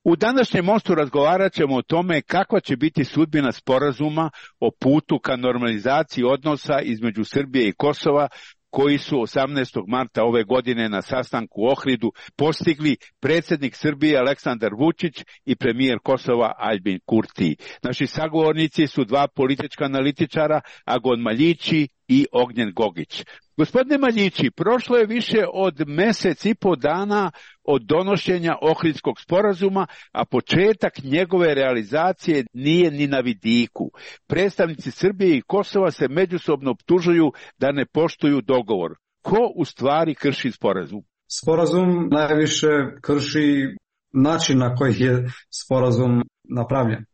U današnjem mostu razgovarat ćemo o tome kakva će biti sudbina sporazuma o putu ka normalizaciji odnosa između Srbije i Kosova, koji su 18. marta ove godine na sastanku u Ohridu postigli predsjednik Srbije Aleksandar Vučić i premijer Kosova Aljbin Kurti. Naši sagovornici su dva politička analitičara, Agon Maljići i Ognjen Gogić. Gospodine Maljići, prošlo je više od mjesec i po dana od donošenja Ohridskog sporazuma, a početak njegove realizacije nije ni na vidiku. Predstavnici Srbije i Kosova se međusobno optužuju da ne poštuju dogovor. Ko u stvari krši sporazum? Sporazum najviše krši način na koji je sporazum napravljen.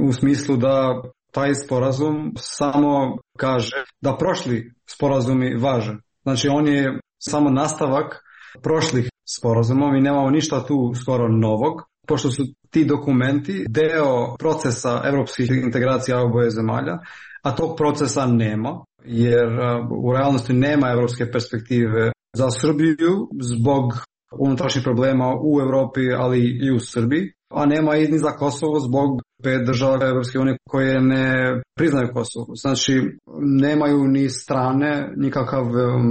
U smislu da taj sporazum samo kaže da prošli sporazumi važe. Znači on je samo nastavak prošlih sporazuma, mi nemamo ništa tu skoro novog, pošto su ti dokumenti deo procesa evropskih integracija oboje zemalja, a tog procesa nema, jer u realnosti nema evropske perspektive za Srbiju zbog unutrašnjih problema u Europi, ali i u Srbiji, a nema i ni za Kosovo zbog 5 država Evropske unije koje ne priznaju Kosovo. Znači, nemaju ni strane, nikakav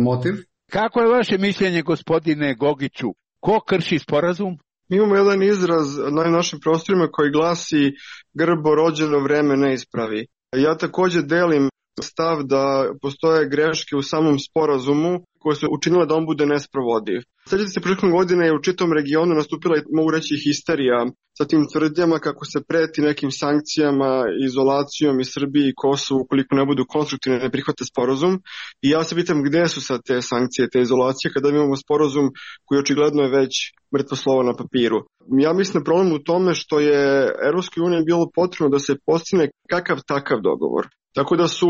motiv. Kako je vaše mišljenje, gospodine Gogiću? Ko krši sporazum? Mi imamo jedan izraz na našim prostorima koji glasi grbo rođeno vreme ne ispravi. Ja također delim stav da postoje greške u samom sporazumu koje su učinile da on bude nesprovodiv. Sjećate se, prošle godine je u čitavom regionu nastupila, mogu reći, histerija sa tim tvrdnjama kako se preti nekim sankcijama, izolacijom i Srbiji i Kosovu ukoliko ne budu konstruktivne, ne prihvate sporazum. I ja se pitam gdje su sad te sankcije, te izolacije, kada imamo sporazum koji očigledno je već mrtvo slovo na papiru. Ja mislim da problem u tome što je Evropskoj uniji bilo potrebno da se postigne kakav takav dogovor. Tako da su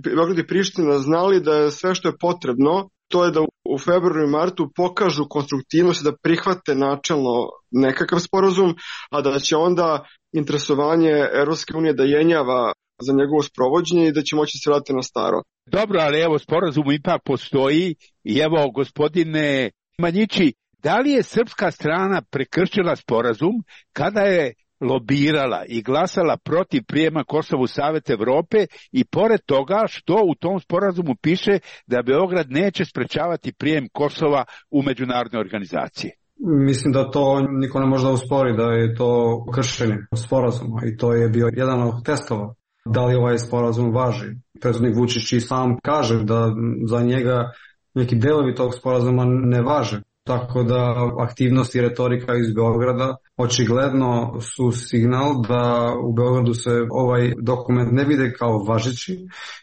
Beograd i Priština znali da je sve što je potrebno, to je da u februaru i martu pokažu konstruktivnost i da prihvate načelno nekakav sporazum, a da će onda interesovanje Evropske unije da jenjava za njegovo sprovođenje i da će moći se vratiti na staro. Dobro, ali evo, sporazum ipak postoji i evo, gospodine Maljići, da li je srpska strana prekršila sporazum kada je lobirala i glasala protiv prijema Kosova u Savet Evrope i pored toga što u tom sporazumu piše da Beograd neće sprečavati prijem Kosova u međunarodne organizacije. Mislim da to niko ne može da uspori, da je to kršenje sporazuma i to je bio jedan od testova. Da li ovaj sporazum važi? Predsjednik Vučić i sam kaže da za njega neki delovi tog sporazuma ne važe. Tako da aktivnosti i retorika iz Beograda očigledno su signal da u Beogradu se ovaj dokument ne vide kao važeći.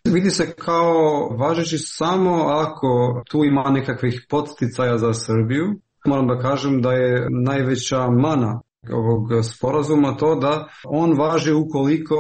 Vidi se kao važeći samo ako tu ima nekakvih podsticaja za Srbiju. Moram da kažem da je najveća mana ovog sporazuma to da on važi ukoliko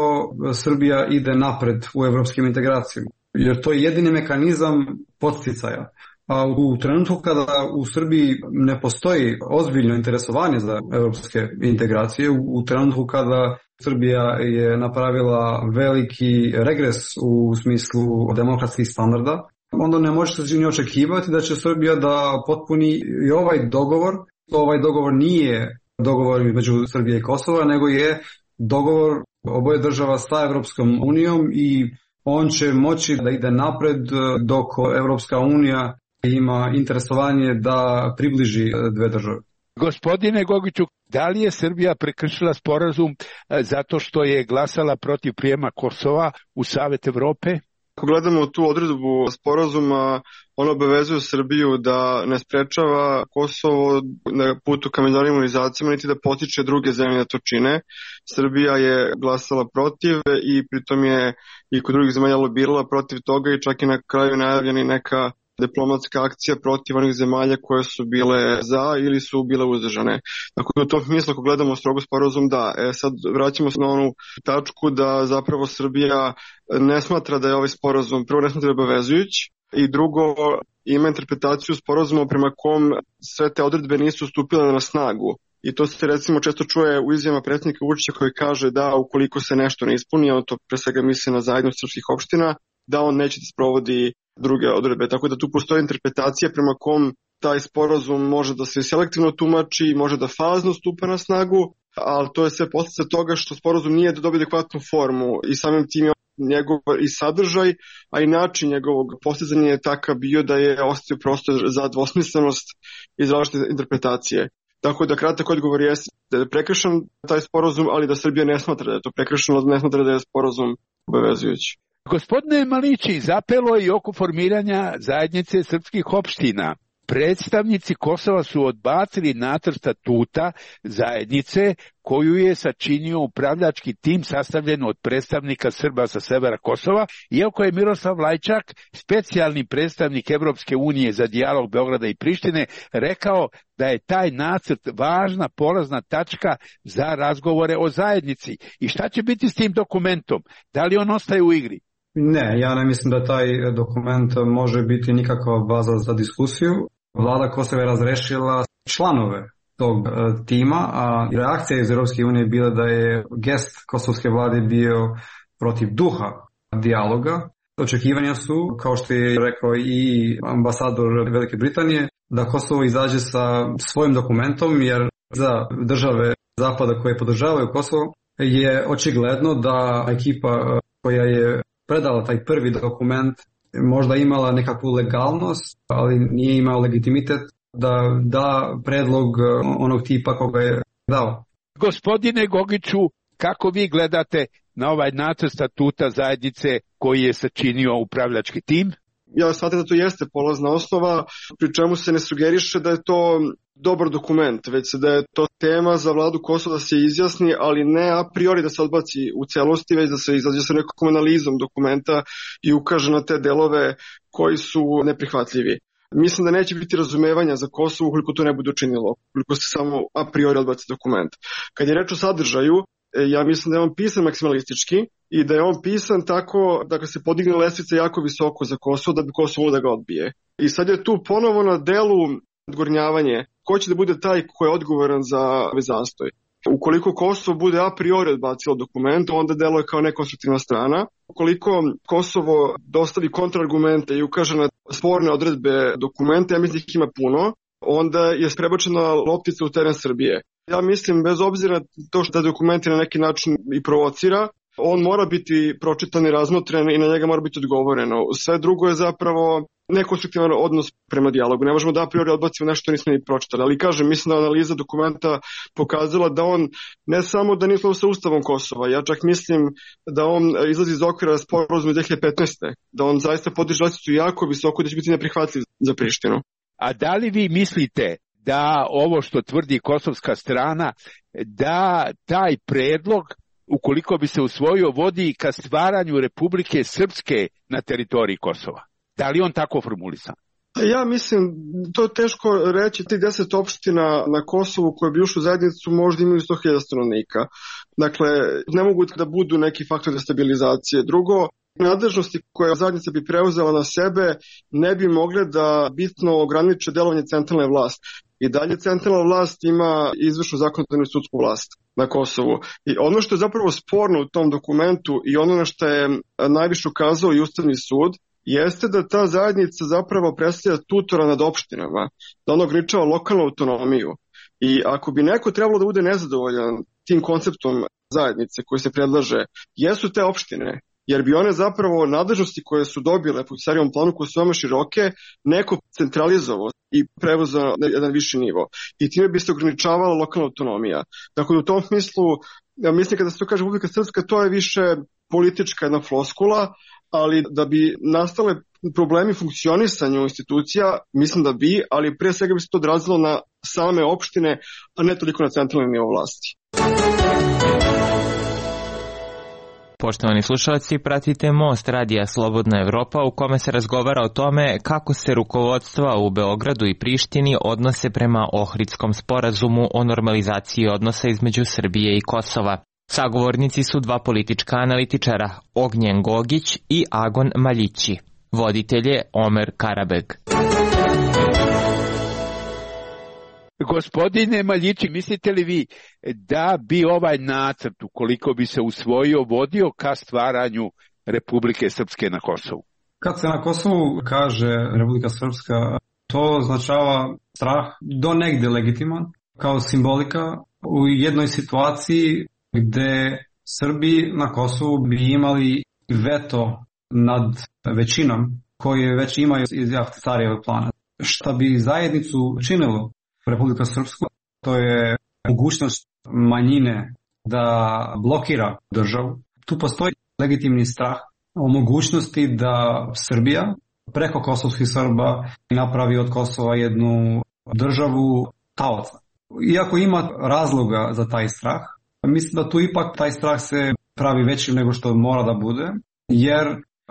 Srbija ide napred u evropskim integracijama. Jer to je jedini mehanizam podsticaja. A u trenutku kada u Srbiji ne postoji ozbiljno interesovanje za evropske integracije, u trenutku kada Srbija je napravila veliki regres u smislu demokratskih standarda, onda ne možete ni očekivati da će Srbija da potpuni i ovaj dogovor. Ovaj dogovor nije dogovor između Srbije i Kosova, nego je dogovor oboje država sa Evropskom unijom i on će moći da ide napred dok Evropska unija ima interesovanje da približi dve države. Gospodine Gogiću, da li je Srbija prekršila sporazum zato što je glasala protiv prijema Kosova u Savet Evrope? Ako gledamo tu odredbu sporazuma, on obavezuje Srbiju da ne sprečava Kosovo na putu ka međunarodnim organizacijama niti da potiče druge zemlje da to čine. Srbija je glasala protiv i pritom je i kod drugih zemalja lobirala protiv toga i čak i na kraju najavljena neka diplomatska akcija protiv onih zemalja koje su bile za ili su bile uzdržane. Tako da u tom smislu ako gledamo strogo sporazum da. Sad vraćamo se na onu tačku da zapravo Srbija ne smatra da je ovaj sporazum, prvo ne smatra da je obavezujući i drugo ima interpretaciju sporazuma prema kom sve te odredbe nisu stupile na snagu. I to se recimo često čuje u izjavama predsjednika Vučića koji kaže da ukoliko se nešto ne ispuni, on to pre svega misli na zajednost srpskih opština, da on neće da sprovodi druge odredbe. Tako da tu postoji interpretacija prema kom taj sporazum može da se selektivno tumači, može da fazno stupa na snagu, ali to je sve posljedica toga što sporazum nije da dobije adekvatnu formu i samim tim je njegov i sadržaj, a i način njegovog postizanja je takav bio da je ostavio prostor za dvosmislenost i različite interpretacije. Tako da kratak odgovor je da je prekršen taj sporazum, ali da Srbija ne smatra da je to prekršeno, ne smatra da je sporazum obavezujući. Gospodine Malići, zapelo je i oko formiranja zajednice srpskih opština. Predstavnici Kosova su odbacili nacrt statuta zajednice koju je sačinio upravljački tim sastavljen od predstavnika Srba sa severa Kosova, iako je Miroslav Lajčak, specijalni predstavnik Evropske unije za dijalog Beograda i Prištine, rekao da je taj nacrt važna polazna tačka za razgovore o zajednici. I šta će biti s tim dokumentom? Da li on ostaje u igri? Ne, ja ne mislim da taj dokument može biti nikakva baza za diskusiju. Vlada Kosova je razrešila članove tog tima, a reakcija iz Europske unije je bila da je gest kosovske vlade bio protiv duha dijaloga. Očekivanja su, kao što je rekao i ambasador Velike Britanije, da Kosovo izađe sa svojim dokumentom, jer za države Zapada koje podržavaju Kosovo je očigledno da ekipa koja je predala taj prvi dokument možda imala nekakvu legalnost, ali nije imao legitimitet da da predlog onog tipa koga je dao. Gospodine Gogiću, kako vi gledate na ovaj nacrt statuta zajednice koji je sačinio upravljački tim? Ja smatram da to jeste polazna osnova, pri čemu se ne sugeriše da je to dobar dokument, već da je to tema za vladu Kosova da se izjasni, ali ne a priori da se odbaci u celosti, već da se izađe sa nekom analizom dokumenta i ukaže na te delove koji su neprihvatljivi. Mislim da neće biti razumevanja za Kosovo ukoliko to ne bude učinilo, ukoliko se samo a priori odbaci dokument. Kad je reč o sadržaju, ja mislim da je on pisan maksimalistički i da je on pisan tako da se podigne lestvica jako visoko za Kosovo da bi Kosovo da ga odbije. I sad je tu ponovo na delu odgornjavanje ko će da bude taj ko je odgovoran za ovaj zastoj. Ukoliko Kosovo bude a priori odbacilo dokument, onda deluje kao nekonstruktivna strana. Ukoliko Kosovo dostavi kontraargumente i ukaže na sporne odredbe dokumenta, ja mislim da ih ima puno, onda je prebačena loptica u teren Srbije. Ja mislim, bez obzira to što dokument na neki način i provocira, on mora biti pročitan i razmotren i na njega mora biti odgovoreno. Sve drugo je zapravo nekonstruktivan odnos prema dijalogu. Ne možemo da a priori odbacimo nešto što nismo ni pročitali. Ali kažem, mislim da analiza dokumenta pokazala da on ne samo da nije sa Ustavom Kosova, ja čak mislim da on izlazi iz okvira sporazuma 2015. Da on zaista podiže lestvicu jako visoko da će biti neprihvatljiv za Prištinu. A da li vi mislite da ovo što tvrdi kosovska strana, da taj predlog, ukoliko bi se usvojio, vodi ka stvaranju Republike Srpske na teritoriji Kosova? Da li on tako formulisan? Ja mislim, to je teško reći, ti 10 opština na Kosovu koje bi ušli u zajednicu možda imaju 100.000 stanovnika. Dakle, ne mogu da budu neki faktor destabilizacije. Drugo, nadležnosti koje zajednica bi preuzela na sebe ne bi mogle da bitno ograniče delovanje centralne vlasti. I dalje centralna vlast ima izvršnu zakonodavnu i sudsku vlast na Kosovu. I ono što je zapravo sporno u tom dokumentu i ono na što je najviše ukazao i Ustavni sud, jeste da ta zajednica zapravo predstavlja tutora nad opštinama, da ona ograničava lokalnu autonomiju. I ako bi neko trebalo da bude nezadovoljan tim konceptom zajednice koji se predlaže, jesu te opštine, jer bi one zapravo nadležnosti koje su dobile po starijom planu, koje su veoma široke, neko centralizovao i prevozao na jedan viši nivo. I time bi se ograničavala lokalna autonomija. Dakle, u tom smislu, ja mislim kada se to kaže Republika Srpska, to je više politička jedna floskula, ali da bi nastale problemi funkcionisanju institucija, mislim da bi, ali pre svega bi se to odrazilo na same opštine, a ne toliko na centralni nivo vlasti. Poštovani slušalci, pratite Most Radija Slobodna Evropa u kome se razgovara o tome kako se rukovodstva u Beogradu i Prištini odnose prema Ohridskom sporazumu o normalizaciji odnosa između Srbije i Kosova. Sagovornici su dva politička analitičara, Ognjen Gogić i Agon Maljići. Voditelj je Omer Karabeg. Gospodine Maljići, mislite li vi da bi ovaj nacrt, ukoliko bi se usvojio, vodio ka stvaranju Republike Srpske na Kosovu? Kad se na Kosovu kaže Republika Srpska, to označava strah do negde legitiman, kao simbolika u jednoj situaciji gde Srbi na Kosovu bi imali veto nad većinom koje već imaju iz Ahtisarijevog plana. Šta bi zajednicu činilo Republika Srpsku, to je mogućnost manjine da blokira državu. Tu postoji legitimni strah o mogućnosti da Srbija preko kosovskih Srba napravi od Kosova jednu državu taoca. Iako ima razloga za taj strah, mislim da tu ipak taj strah se pravi većim nego što mora da bude, jer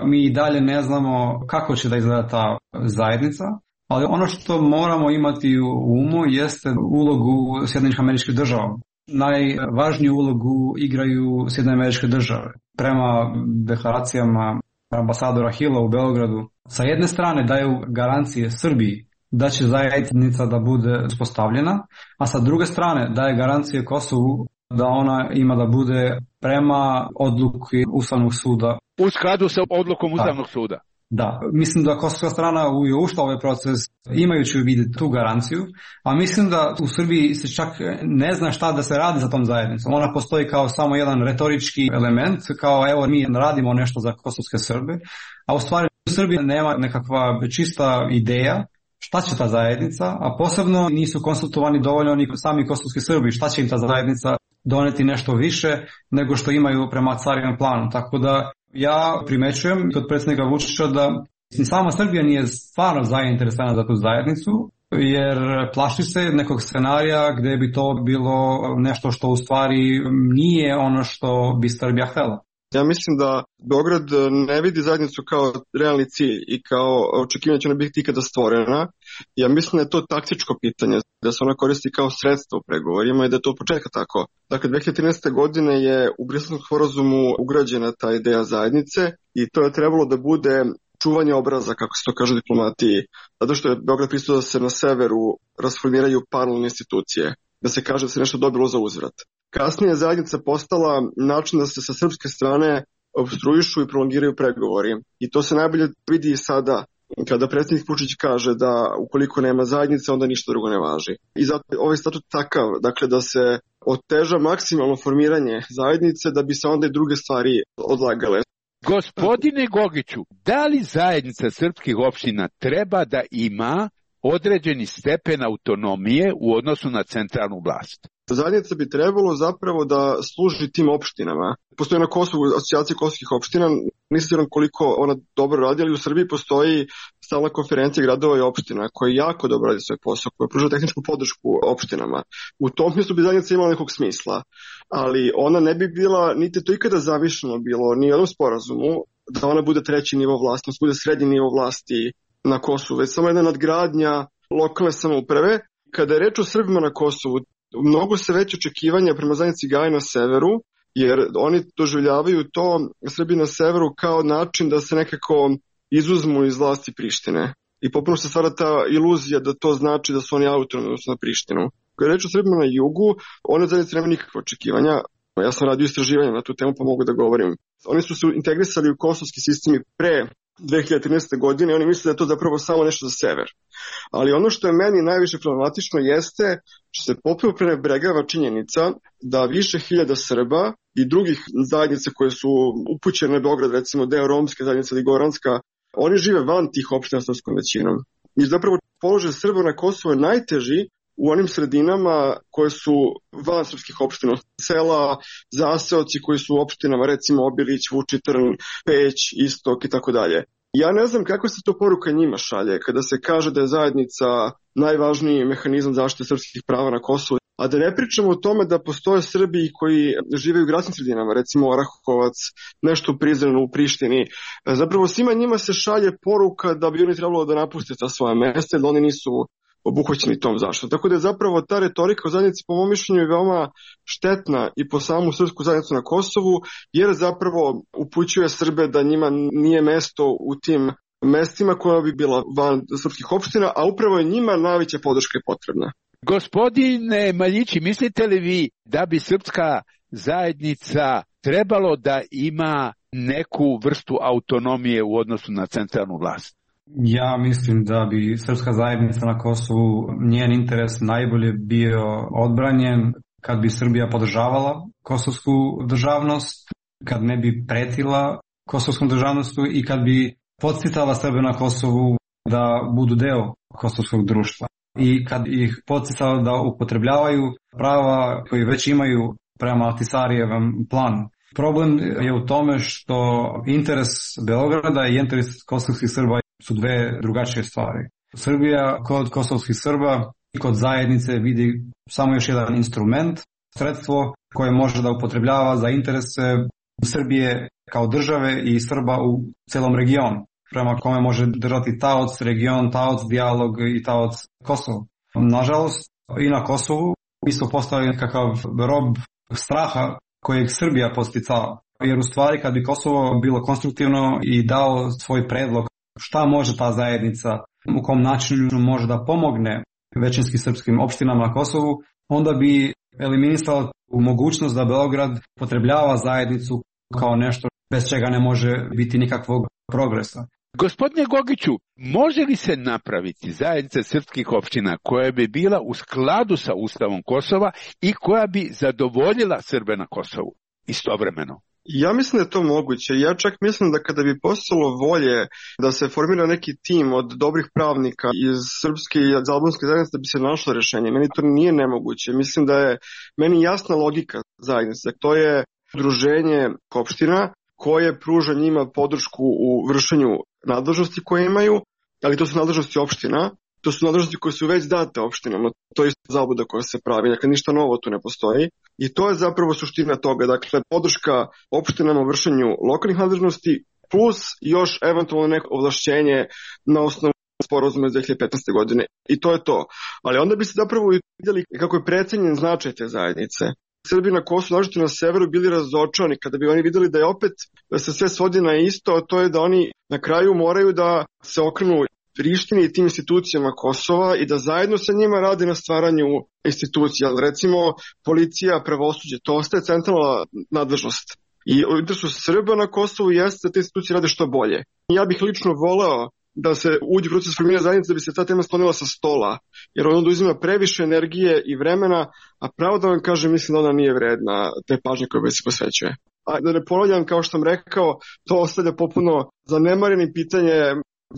mi i dalje ne znamo kako će da izgleda ta zajednica, ali ono što moramo imati u umu jeste ulogu Sjedinjenih Američkih Država. Najvažniju ulogu igraju Sjedinjene Američke Države. Prema deklaracijama ambasadora Hilla u Beogradu, sa jedne strane daju garancije Srbiji da će zajednica da bude uspostavljena, a sa druge strane daje garancije Kosovu da ona ima da bude prema odluki Ustavnog suda. U skladu sa odlukom Ustavnog suda. Da, mislim da kosovska strana je ušla u ovaj proces imajući u vidu tu garanciju, a mislim da u Srbiji se čak ne zna šta da se radi za tom zajednicom. Ona postoji kao samo jedan retorički element, kao evo mi radimo nešto za kosovske Srbe, a u stvari u Srbiji nema nekakva čista ideja šta će ta zajednica, a posebno nisu konsultovani dovoljno ni sami kosovski Srbi, šta će im ta zajednica doneti nešto više nego što imaju prema carinom planu. Tako da ja primećujem kod predsjednika Vučića da sama Srbija nije stvarno zainteresovana za tu zajednicu, jer plaši se nekog scenarija gdje bi to bilo nešto što u stvari nije ono što bi Srbija htjela. Ja mislim da Beograd ne vidi zajednicu kao realni cilj i kao očekivanje će ona biti ikada stvorena. Ja mislim da je to taktičko pitanje, da se ona koristi kao sredstvo u pregovorima i da je to od početka tako. Dakle, 2013. godine je u Briselskom sporazumu ugrađena ta ideja zajednice i to je trebalo da bude čuvanje obraza, kako se to kaže u diplomatiji, zato što je Beograd pristao da se na severu rasformiraju paralelne institucije, da se kaže da se nešto dobilo za uzvrat. Kasnije je zajednica postala način da se sa srpske strane opstruišu i prolongiraju pregovori. I to se najbolje vidi i sada kada predsjednik Vučić kaže da ukoliko nema zajednice, onda ništa drugo ne važi. I zato je ovaj statut takav, dakle da se oteža maksimalno formiranje zajednice da bi se onda i druge stvari odlagale. Gospodine Gogiću, da li zajednica srpskih opština treba da ima određeni stepen autonomije u odnosu na centralnu vlast? Zajednica bi trebalo zapravo da služi tim opštinama. Postoji na Kosovu asocijacija kosovskih opština, nisam siguran koliko ona dobro radi, ali u Srbiji postoji stalna konferencija gradova i opština koja jako dobro radi svoj posao, koja pruža tehničku podršku opštinama. U tom mjestu bi zajednica imala nekog smisla, ali ona ne bi bila, niti to ikada zamišljeno bilo, ni u jednom sporazumu, da ona bude treći nivo vlasti, da bude srednji nivo vlasti na Kosovu, već samo jedna nadgradnja lokalne samouprave. Kada je reč o Srbima na Kosovu, mnogo se veće očekivanja prema zajednici gaje na severu, jer oni doživljavaju to Srbi na severu kao način da se nekako izuzmu iz vlasti Prištine. I popuno se stvara ta iluzija da to znači da su oni autonomni odnosno na Prištinu. Kada je reč o Srbima na jugu, one zajednice nema nikakve očekivanja. Ja sam radio istraživanja na tu temu pa mogu da govorim. Oni su se integrisali u kosovski sistem pre 2013. godine i oni misle da je to zapravo samo nešto za sever. Ali ono što je meni najviše problematično jeste što se potpuno prenebregava činjenica da više hiljada Srba i drugih zajednica koje su upućene na Beograd, recimo deo romske zajednice ili goranska, oni žive van tih opština srpskom većinom. I zapravo položaj Srba na Kosovu je najteži u onim sredinama koje su van srpskih opština, sela, zaseoci koji su u opštinama, recimo Obilić, Vučitrn, Peć, Istok i tako dalje. Ja ne znam kakva se to poruka njima šalje kada se kaže da je zajednica najvažniji mehanizam zaštite srpskih prava na Kosovu, a da ne pričamo o tome da postoje Srbi koji žive u gradskim sredinama, recimo Orahovac, nešto u Prizrenu, u Prištini. Zapravo svima njima se šalje poruka da bi oni trebalo da napuste ta svoja mesta, da oni nisu obuhvaćeni tom zaštitom. Tako da je zapravo ta retorika o zajednici po mom mišljenju je veoma štetna i po samu srpsku zajednicu na Kosovu, jer zapravo upućuje Srbe da njima nije mesto u tim mestima koja bi bila van srpskih opština, a upravo je njima najveća podrška potrebna. Gospodine Maljići, mislite li vi da bi srpska zajednica trebalo da ima neku vrstu autonomije u odnosu na centralnu vlast? Ja mislim da bi srpska zajednica na Kosovu, njen interes najbolje bio odbranjen kad bi Srbija podržavala kosovsku državnost, kad ne bi pretila kosovskom državnostu i kad bi podsticala Srbe na Kosovu da budu deo kosovskog društva. I kad ih podsticala da upotrebljavaju prava koje već imaju prema Ahtisarijevom planu. Problem je u tome što interes Beograda i interes kosovskih Srba su dve drugačije stvari. Srbija kod kosovskih Srba i kod zajednice vidi samo još jedan instrument, sredstvo koje može da upotrebljava za interese Srbije kao države i Srba u celom regionu, prema kome može držati taoc region, taoc dijalog i taoc Kosovo. Nažalost, i na Kosovu mi smo postali nekakav rob straha kojeg Srbija posticava. Jer u stvari kad bi Kosovo bilo konstruktivno i dao svoj predlog šta može ta zajednica, u kom načinu može da pomogne većinski srpskim opštinama na Kosovu, onda bi eliminisala mogućnost da Beograd potrebljava zajednicu kao nešto bez čega ne može biti nikakvog progresa. Gospodine Gogiću, može li se napraviti zajednica srpskih opština koja bi bila u skladu sa Ustavom Kosova i koja bi zadovoljila Srbe na Kosovu istovremeno? Ja mislim da je to moguće. Ja čak mislim da kada bi postalo volje da se formira neki tim od dobrih pravnika iz srpske i albanske zajednice da bi se našlo rješenje. Meni to nije nemoguće. Mislim da je meni jasna logika zajednice. To je udruženje opština koje pruža njima podršku u vršenju nadležnosti koje imaju, ali to su nadležnosti opština. To su nadležnosti koje su već date opštinama. To je zabluda koja se pravi. Dakle, ništa novo tu ne postoji. I to je zapravo suština toga. Dakle, podrška opštinama u vršenju lokalnih nadležnosti plus još eventualno neko ovlašćenje na osnovu sporazuma iz 2015. godine. I to je to. Ali onda bi se zapravo vidjeli kako je precenjen značaj te zajednice. Srbi na Kosovu, nažalost na severu, bili razočarani kada bi oni vidjeli da je opet da se sve svodi na isto, a to je da oni na kraju moraju da se okrenu Prištini i tim institucijama Kosova i da zajedno sa njima radi na stvaranju institucija. Recimo, policija, pravosuđe, to ostaje centralna nadležnost. I u interesu Srba na Kosovu jeste da te institucije rade što bolje. Ja bih lično voleo da se uđe u proces formiranja zajednice da bi se ta tema sklonila sa stola, jer ona uzima previše energije i vremena, a pravo da vam kažem, mislim da ona nije vredna te pažnje koje se posvećuje. A da ne ponavljam, kao što sam rekao, to ostavlja popuno zanemareni pitanje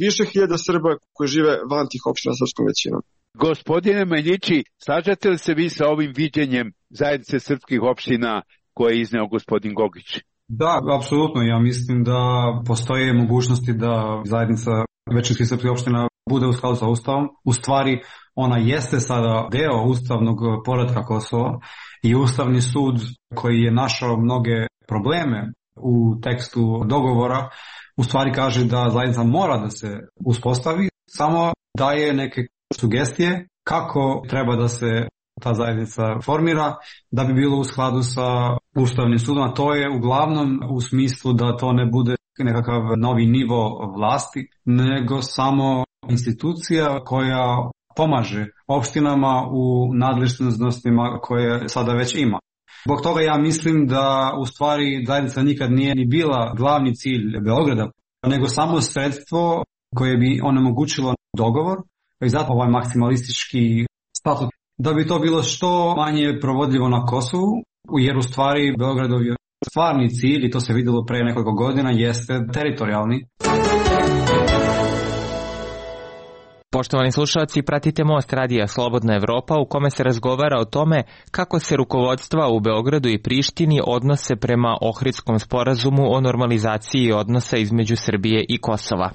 više hiljada Srba koji žive van tih opština srpskom većinom. Gospodine Maljići, slažete li se vi sa ovim viđenjem zajednice srpskih opština koje je izneo gospodin Gogić? Da, apsolutno. Ja mislim da postoje mogućnosti da zajednica većinskih srpskih opština bude u skladu sa Ustavom. U stvari, ona jeste sada deo ustavnog poretka Kosova i Ustavni sud koji je našao mnoge probleme u tekstu dogovora, u stvari kaže da zajednica mora da se uspostavi, samo daje neke sugestije kako treba da se ta zajednica formira da bi bilo u skladu sa Ustavnim sudom, a to je uglavnom u smislu da to ne bude nekakav novi nivo vlasti, nego samo institucija koja pomaže opštinama u nadležnostima koje sada već ima. Zbog toga ja mislim da u stvari zajednica nikad nije ni bila glavni cilj Beograda, nego samo sredstvo koje bi onemogućilo dogovor i zato ovaj maksimalistički statut. Da bi to bilo što manje provodljivo na Kosovu, jer u stvari Beogradov je stvarni cilj, i to se vidjelo pre nekoliko godina, jeste teritorijalni. Poštovani slušalci, pratite Most radija Slobodna Evropa u kome se razgovara o tome kako se rukovodstva u Beogradu i Prištini odnose prema Ohridskom sporazumu o normalizaciji odnosa između Srbije i Kosova.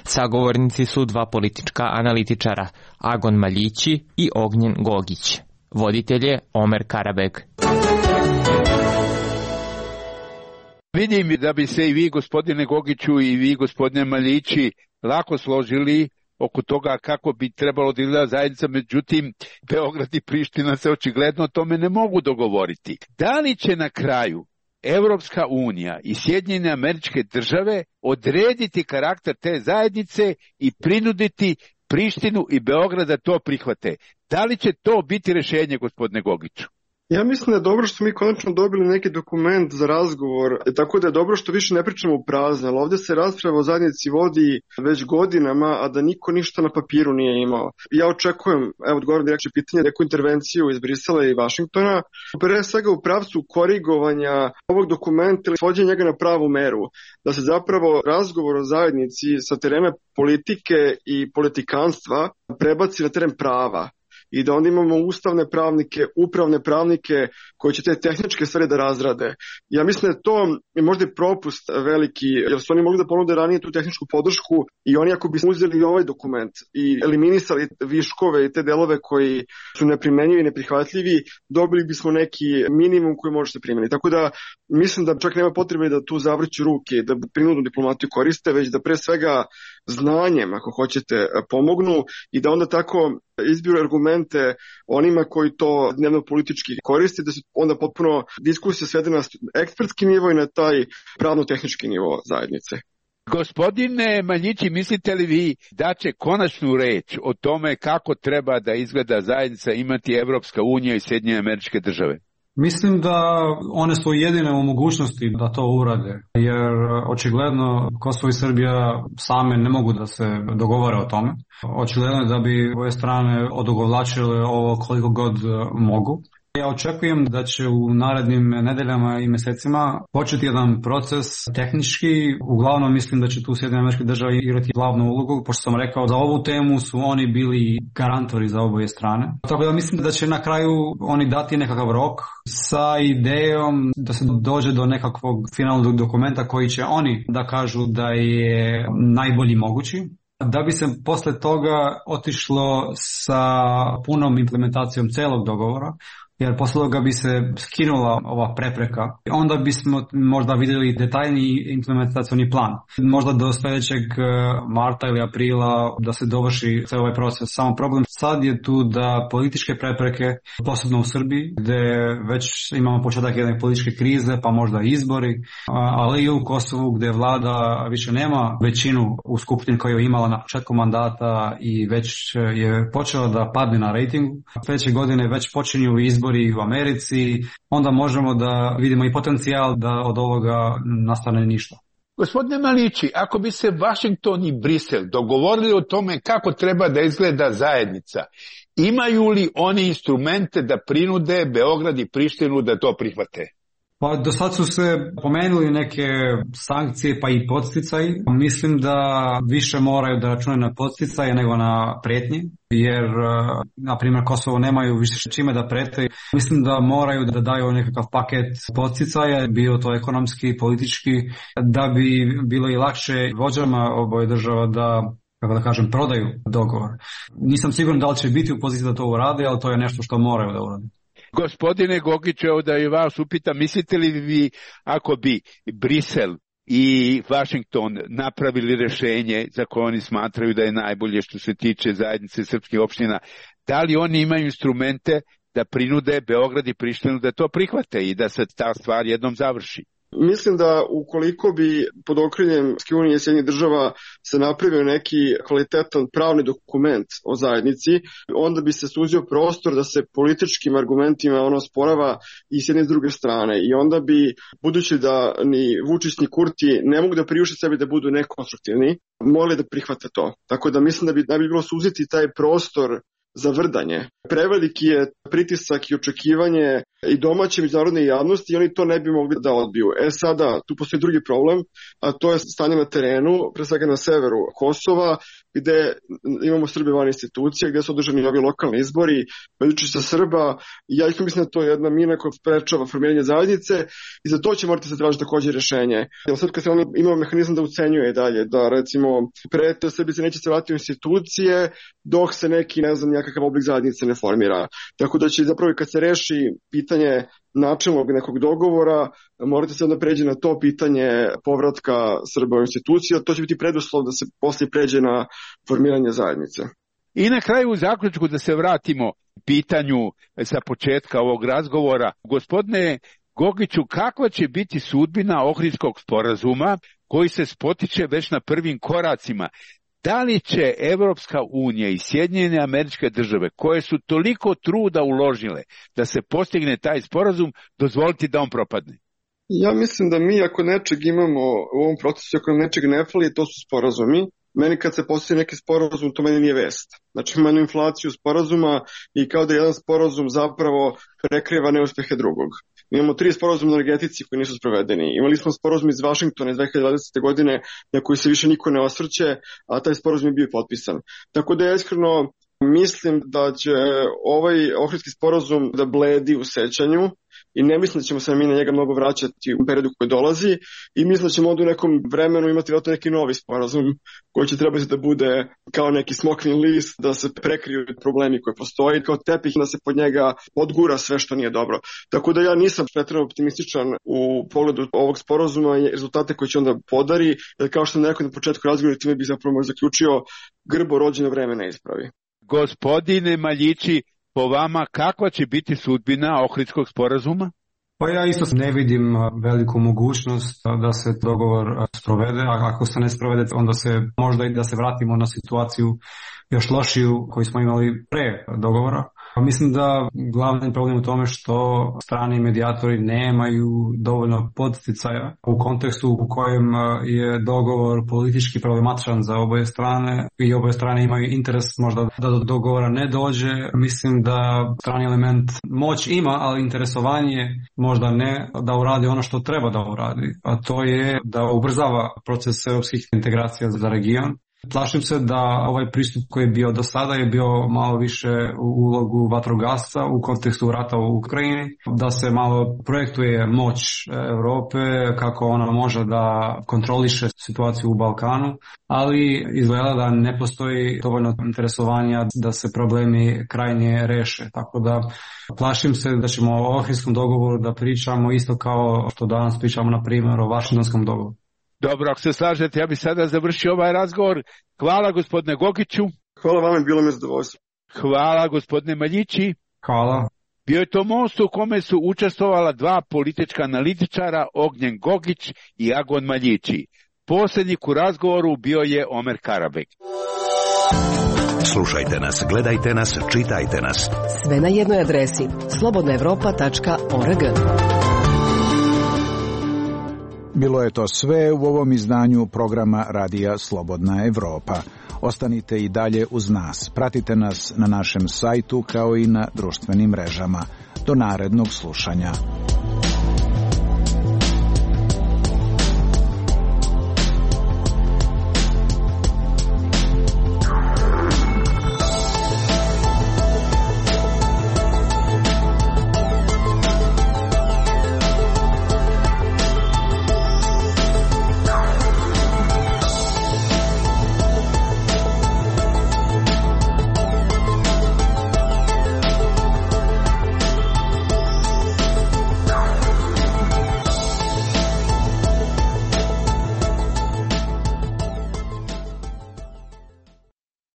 Sagovornici su dva politička analitičara, Agon Maljići i Ognjen Gogić. Voditelj je Omer Karabeg. Vidim da bi se i vi, gospodine Gogiću, i vi, gospodine Maljići, lako složili oko toga kako bi trebalo da izgleda zajednica, međutim Beograd i Priština se očigledno o tome ne mogu dogovoriti. Da li će na kraju Evropska unija i Sjedinjene Američke Države odrediti karakter te zajednice i prinuditi Prištinu i Beograd da to prihvate? Da li će to biti rješenje, gospodine Gogiću? Ja mislim da je dobro što smo mi konačno dobili neki dokument za razgovor, tako da je dobro što više ne pričamo u prazno, ali ovdje se rasprava o zajednici vodi već godinama, a da niko ništa na papiru nije imao. Ja očekujem, evo odgovorim direktno pitanje, neku intervenciju iz Brisela i Vašingtona, pre svega u pravcu korigovanja ovog dokumenta ili svođenja njega na pravu meru, da se zapravo razgovor o zajednici sa terena politike i politikanstva prebaci na teren prava. I da onda imamo ustavne pravnike, upravne pravnike koji će te tehničke stvari da razrade. Ja mislim da je to možda i propust veliki, jer su oni mogli da ponude ranije tu tehničku podršku i oni ako bi uzeli ovaj dokument i eliminisali viškove i te delove koji su neprimenjivi i neprihvatljivi, dobili bismo neki minimum koji može se primeniti. Tako da mislim da čak nema potrebe da tu zavrću ruke, da prinudnu diplomatiju koriste, već da pre svega znanjem, ako hoćete, pomognu i da onda tako izbiru argumente onima koji to dnevno politički koriste, da se onda potpuno diskusija svede na ekspertski nivo i na taj pravno-tehnički nivo zajednice. Gospodine Maljići, mislite li vi da će konačnu reč o tome kako treba da izgleda zajednica imati Evropska unija i Sjedinjene Američke Države? Mislim da one su jedine u mogućnosti da to urade, jer očigledno Kosovo i Srbija same ne mogu da se dogovore o tome. Očigledno je da bi ove strane odugovlačile ovo koliko god mogu. Ja očekujem da će u narednim nedeljama i mjesecima početi jedan proces tehnički. Uglavnom mislim da će tu Sjedinjene Američke Države igrati glavnu ulogu, pošto sam rekao za ovu temu su oni bili garantori za oboje strane. Tako da mislim da će na kraju oni dati nekakav rok sa idejom da se dođe do nekakvog finalnog dokumenta koji će oni da kažu da je najbolji mogući, da bi se posle toga otišlo sa punom implementacijom celog dogovora, jer posle toga bi se skinula ova prepreka. Onda bismo možda vidjeli detaljni implementacioni plan. Možda do sljedećeg marta ili aprila da se dovrši cijel ovaj proces. Samo problem sad je tu da političke prepreke, posebno u Srbiji, gdje već imamo početak jedne političke krize, pa možda izbori, ali i u Kosovu gdje vlada više nema većinu u skupštini koju je imala na početku mandata i već je počela da padne na rejtingu. Sljedeće godine već počinju izbori u Americi, onda možemo da vidimo i potencijal da od ovoga nastane ništa. Gospodine Malići, ako bi se Vašington i Brisel dogovorili o tome kako treba da izgleda zajednica, imaju li oni instrumente da prinude Beograd i Prištinu da to prihvate? Pa do sad su se pomenuli neke sankcije pa i podsticaji. Mislim da više moraju da računaju na podsticaje nego na pretnje, jer na primjer Kosovo nemaju više čime da prete. Mislim da moraju da daju nekakav paket podsticaja, bio to ekonomski, politički, da bi bilo i lakše vođama oboje država da, kako da kažem, prodaju dogovor. Nisam siguran da li će biti u poziciji da to urade, ali to je nešto što moraju da urade. Gospodine Gogiću, evo da i vas upitam, mislite li vi ako bi Brisel i Washington napravili rješenje za koje oni smatraju da je najbolje što se tiče zajednice srpskih opština, da li oni imaju instrumente da prinude Beograd i Prištinu da to prihvate i da se ta stvar jednom završi? Mislim da ukoliko bi pod okriljem Evropske unije i Sjedinjenih država se napravio neki kvalitetan pravni dokument o zajednici, onda bi se suzio prostor da se političkim argumentima ono sporava i s jedne i s druge strane. I onda bi, budući da ni Vučić ni Kurti ne mogu da priušte sebi da budu nekonstruktivni, mogli da prihvate to. Tako da mislim da bi bilo suziti taj prostor za vrdanje. Preveliki je pritisak i očekivanje i domaće međunarodne javnosti i oni to ne bi mogli da odbiju. Sada, tu postoji drugi problem, a to je stanje na terenu, pre svega na severu Kosova, gde imamo Srbe van institucija, gde su održani ovi lokalni izbori, Veljučica Srba, i ja mislim da to je jedna mina koja sprečava formiranje zajednice i za to će morati se tražiti također rješenje. Jer srpska strana ima mehanizam da ucenjuje dalje, da recimo prete Srbi se neće se vratiti u institucije dok se neki, ne znam, nekakav oblik zajednice ne formira. Tako da će zapravo kad se reši pitanje načelnog nekog dogovora, morate se onda pređe na to pitanje povratka Srba u institucija, to će biti preduslov da se poslije pređe na formiranje zajednice. I na kraju u zaključku da se vratimo pitanju sa početka ovog razgovora. Gospodine Gogiću, kakva će biti sudbina Ohridskog sporazuma koji se spotiče već na prvim koracima? Da li će Evropska unija i Sjedinjene Američke Države, koje su toliko truda uložile da se postigne taj sporazum, dozvoliti da on propadne? Ja mislim da mi ako nečeg imamo u ovom procesu, ako nam nečeg ne fali, to su sporazumi. Meni kad se postoji neki sporazum, to meni nije vest. Znači imamo inflaciju sporazuma i kao da jedan sporazum zapravo prekriva neuspehe drugog. Imamo 3 sporazuma o energetici koji nisu sprovedeni. Imali smo sporazum iz Vašingtona iz 2020. godine na koji se više niko ne osvrće, a taj sporazum je bio potpisan. Tako da ja iskreno mislim da će ovaj Ohridski sporazum da bledi u sećanju i ne mislim da ćemo se mi na njega mnogo vraćati u periodu koji dolazi i mislim da ćemo onda u nekom vremenu imati vjerojatno neki novi sporazum koji će trebati da bude kao neki smokvin list, da se prekriju problemi koji postoji, kao tepih da se pod njega odgura sve što nije dobro. Tako da ja nisam pretjerano optimističan u pogledu ovog sporazuma i rezultate koje će onda podari, jer kao što sam rekao na početku razgovora, time bih zapravo zaključio, grbo rođeno vreme ne ispravi. Gospodine Maljići, po vama kakva će biti sudbina Ohridskog sporazuma? Pa ja isto ne vidim veliku mogućnost da se dogovor sprovede, a ako se ne sprovede onda se možda i da se vratimo na situaciju još lošiju koju smo imali pre dogovora. Mislim da glavni problem u tome što strani medijatori nemaju dovoljno podsticaja u kontekstu u kojem je dogovor politički problematičan za oboje strane i oboje strane imaju interes možda da do dogovora ne dođe. Mislim da strani element moć ima, ali interesovanje možda ne da uradi ono što treba da uradi, a to je da ubrzava proces europskih integracija za region. Plašim se da ovaj pristup koji je bio do sada je bio malo više u ulogu vatrogasca u kontekstu rata u Ukrajini, da se malo projektuje moć Europe, kako ona može da kontroliše situaciju u Balkanu, ali izgleda da ne postoji dovoljno interesovanja da se problemi krajnje reše. Tako da plašim se da ćemo o Ohridskom dogovoru da pričamo isto kao što danas pričamo na primjer o Vašingtonskom dogovoru. Dobro, ako se slažete, ja bih sada završio ovaj razgovor. Hvala gospodine Gogiću. Hvala vam, bilo mi zadovoljstvo. Hvala gospodine Maljići. Hvala. Bio je to most u kome su učestvovala 2 politička analitičara, Ognjen Gogić i Agon Maljići. Posljednjik u razgovoru bio je Omer Karabek. Slušajte nas, gledajte nas, čitajte nas. Sve na jednoj adresi slobodnaevropa.org. Bilo je to sve u ovom izdanju programa Radija Slobodna Evropa. Ostanite i dalje uz nas. Pratite nas na našem sajtu kao i na društvenim mrežama. Do narednog slušanja.